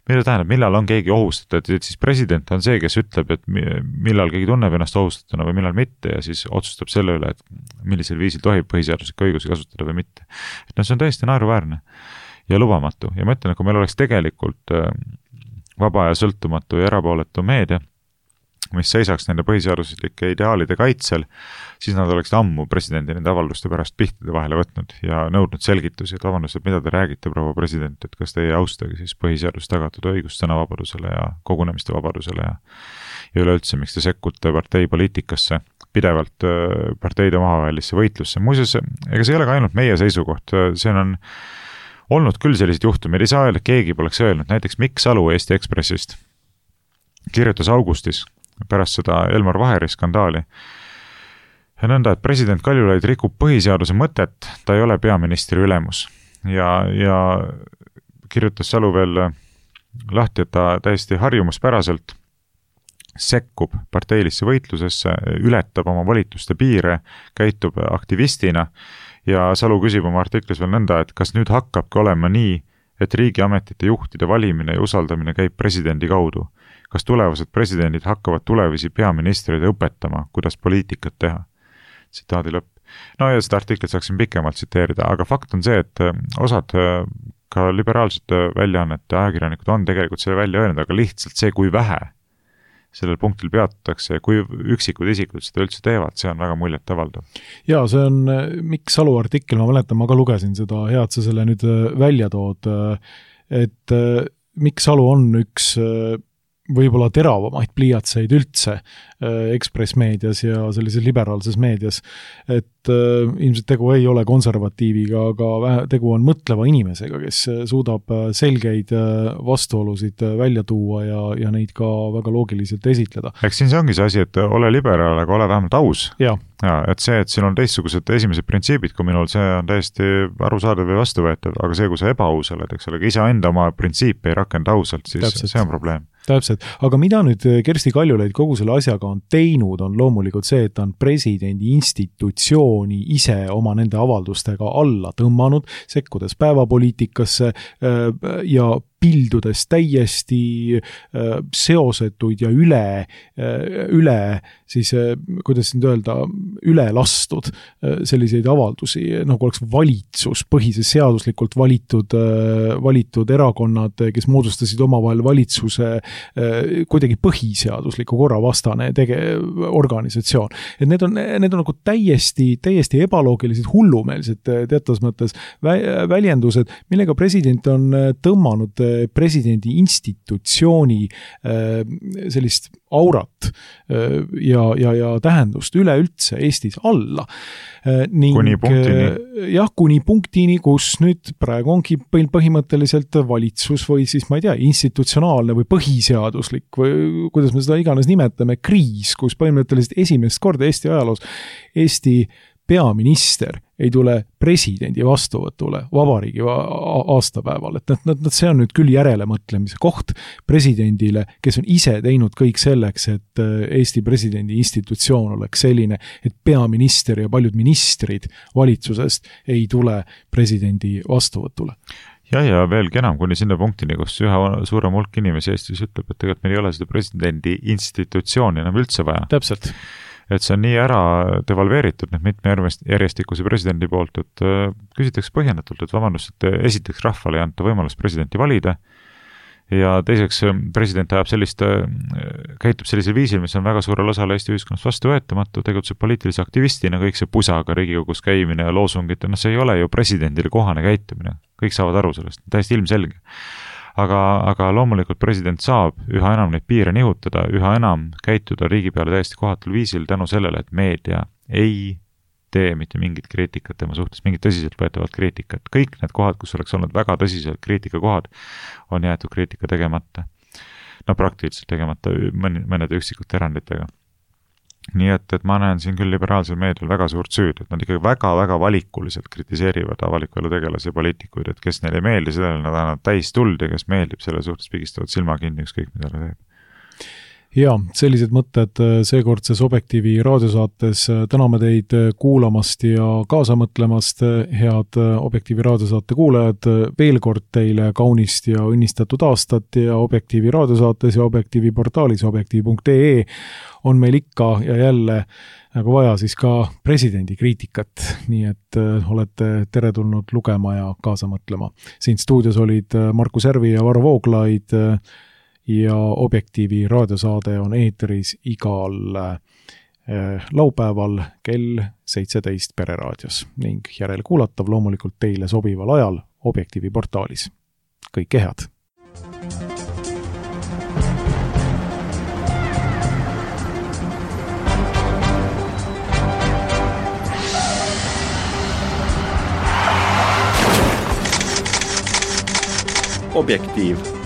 C: Mida tähendab, millal on keegi ohustatud, et siis president on see, kes ütleb, et millal keegi tunneb ennast ohustatuna või millal mitte ja siis otsustab selle üle, et millisel viisil tohib põhiseaduslikke õigusi kasutada või mitte. Et no see on tõesti naeruväärne ja lubamatu ja ma ütlen, et kui meil oleks tegelikult vaba ja sõltumatu ja erapooletu meedia, mis seisaks nende põhiseaduslike ideaalide kaitsel, siis nad oleksid ammu presidendi nende avalduste pärast pihtide vahele võtnud ja nõudnud selgitusi, et vabandust, et mida te räägite, proua president, et kas te ei austagi siis põhiseadust tagatud õigust sõnavabadusele ja kogunemiste vabadusele ja, ja üleüldse, miks te sekkute parteipoliitikasse, pidevalt parteide omavahelisse võitlusse. Muuseas, ega see ei ole ka ainult meie seisukoht, see on olnud küll sellised juhtumid, ei saa öelda, et keegi poleks öelnud, näiteks Mikk Salu Eesti Ekspressist kirjutas augustis pärast seda Elmar Vaheri skandaali. Ja nõnda, et president Kaljulaid rikub põhiseaduse mõtet, ta ei ole peaministri ülemus. Ja, ja kirjutas Salu veel lahti, et ta täiesti harjumuspäraselt sekkub parteilisse võitlusesse, ületab oma volituste piire, käitub aktivistina ja Salu küsib oma artiklis veel nõnda, et kas nüüd hakkabki olema nii, et riigiametite juhtide valimine ja usaldamine käib presidendi kaudu. Kas tulevased presidendid hakkavad tulevisi peaministreid õpetama, kuidas poliitikat teha? Tsitaadi lõpp. No ja seda artiklit saaksin pikemalt tsiteerida, aga fakt on see, et osad ka liberaalsete väljaannete ajakirjanikud on tegelikult selle välja öelnud, aga lihtsalt see, kui vähe sellel punktil peatatakse ja kui üksikud isikud seda üldse teevad, see on väga muljet avaldav.
B: Ja see on Mikk Salu artikkel, ma mäletan, ma ka lugesin seda, head sa selle nüüd välja tood, et Mikk Salu on üks võib-olla teravamaid pliiatseid üldse ekspressmeedias ja sellises liberaalses meedias, et äh, ilmselt tegu ei ole konservatiiviga, aga vähe, tegu on mõtleva inimesega, kes suudab selgeid vastuolusid välja tuua ja, ja neid ka väga loogiliselt esitleda.
C: Eks siin see ongi see asi, et ole liberaal, aga ole vähemalt aus.
B: Ja.
C: Ja, et see, et siin on teistsugused esimesed printsiibid kui minul, see on täiesti arusaadav või vastuvõetav, aga see, kui sa ebaus oled, eks ole, ise enda oma printsiipe ei rakenda ausalt, siis Täpselt. See on probleem.
B: Täpselt, aga mida nüüd Kersti Kaljulaid kogu selle asjaga on teinud, on loomulikult see, et ta on presidendi institutsiooni ise oma nende avaldustega alla tõmmanud, sekkudes päevapoliitikasse ja pildudes täiesti seosetuid ja üle, üle siis, kuidas nüüd öelda, üle lastud selliseid avaldusi, nagu oleks valitsus, põhises seaduslikult valitud, valitud erakonnad, kes moodustasid omavahel valitsuse kuidagi põhiseadusliku korra vastane tege, organisatsioon. Et need on, need on nagu täiesti, täiesti ebaloogilised, hullumeelsed teatavas mõttes väljendused, millega president on tõmmanud presidendi institutsiooni sellist aurat ja, ja, ja tähendust üleüldse Eestis alla. Ning,
C: kuni punktini.
B: Jah, kuni punktini, kus nüüd praegu ongi põhimõtteliselt valitsus või siis, ma ei tea, institutsionaalne või põhiseaduslik või kuidas me seda iganes nimetame, kriis, kus põhimõtteliselt esimest korda Eesti ajaloos Eesti peaminister ei tule presidendi vastuvõtule vabariigi aastapäeval, et nad, nad, see on nüüd küll järelemõtlemise koht presidendile, kes on ise teinud kõik selleks, et Eesti presidendi institutsioon oleks selline, et peaminister ja paljud ministrid valitsusest ei tule presidendi vastuvõtule.
C: Ja, ja veelgi enam kuni sinna punktini, kus üha suurem hulk inimesi Eestis ütleb, et tegelikult meil ei ole seda presidendi institutsiooni enam üldse vaja.
B: Täpselt.
C: Et see on nii ära devalveeritud nüüd mitme järjestikuse presidendi poolt, et küsitakse põhjendatult, et vabandust, et esiteks rahvale ei anta võimalust presidenti valida ja teiseks president ajab sellist, käitub sellisel viisil, mis on väga suurel osal Eesti ühiskonnast vastuvõetamatu, tegutseb poliitilise aktivistina, kõik see pusaga Riigikogus käimine ja loosungid, no see ei ole ju presidendile kohane käitumine, kõik saavad aru sellest, täiesti ilmselge. Aga, aga loomulikult president saab üha enam neid piire nihutada, üha enam käituda riigi peale täiesti kohatul viisil tänu sellele, et meedia ei tee mitte mingit kriitikat tema suhtes, mingit tõsiselt võetavat kriitikat. Kõik need kohad, kus oleks olnud väga tõsiselt kriitikakohad, on jäetud kriitika tegemata. No praktiliselt tegemata mõnede üksikute eranditega. Nii et, et ma näen siin küll liberaalsel meedial väga suurt süüd, et nad ikkagi väga-väga valikuliselt kritiseerivad avaliku elu tegelasi ja poliitikuid, et kes neile ei meeldi, sellele nad annavad täis tuld ja kes meeldib, selle suhtes pigistavad silma kinni ükskõik, mida ta teeb.
B: Ja, sellised mõtted seekordses Objektiivi raadiosaates. Täname teid kuulamast ja kaasa mõtlemast, head Objektiivi raadiosaate kuulajad. Veel kord teile kaunist ja õnnistatud aastat ja Objektiivi raadiosaates ja Objektiivi portaalis objektiiv punkt ee on meil ikka ja jälle nagu vaja siis ka presidendi kriitikat, nii et olete teretulnud lugema ja kaasa mõtlema. Siin stuudios olid Markus Järvi ja Varro Vooglaid ja Objektiivi raadiosaade on eetris igal laupäeval kell seitseteist Pereraadios ning järelkuulatav loomulikult teile sobival ajal Objektiivi portaalis. Kõike head!
A: Objektiiv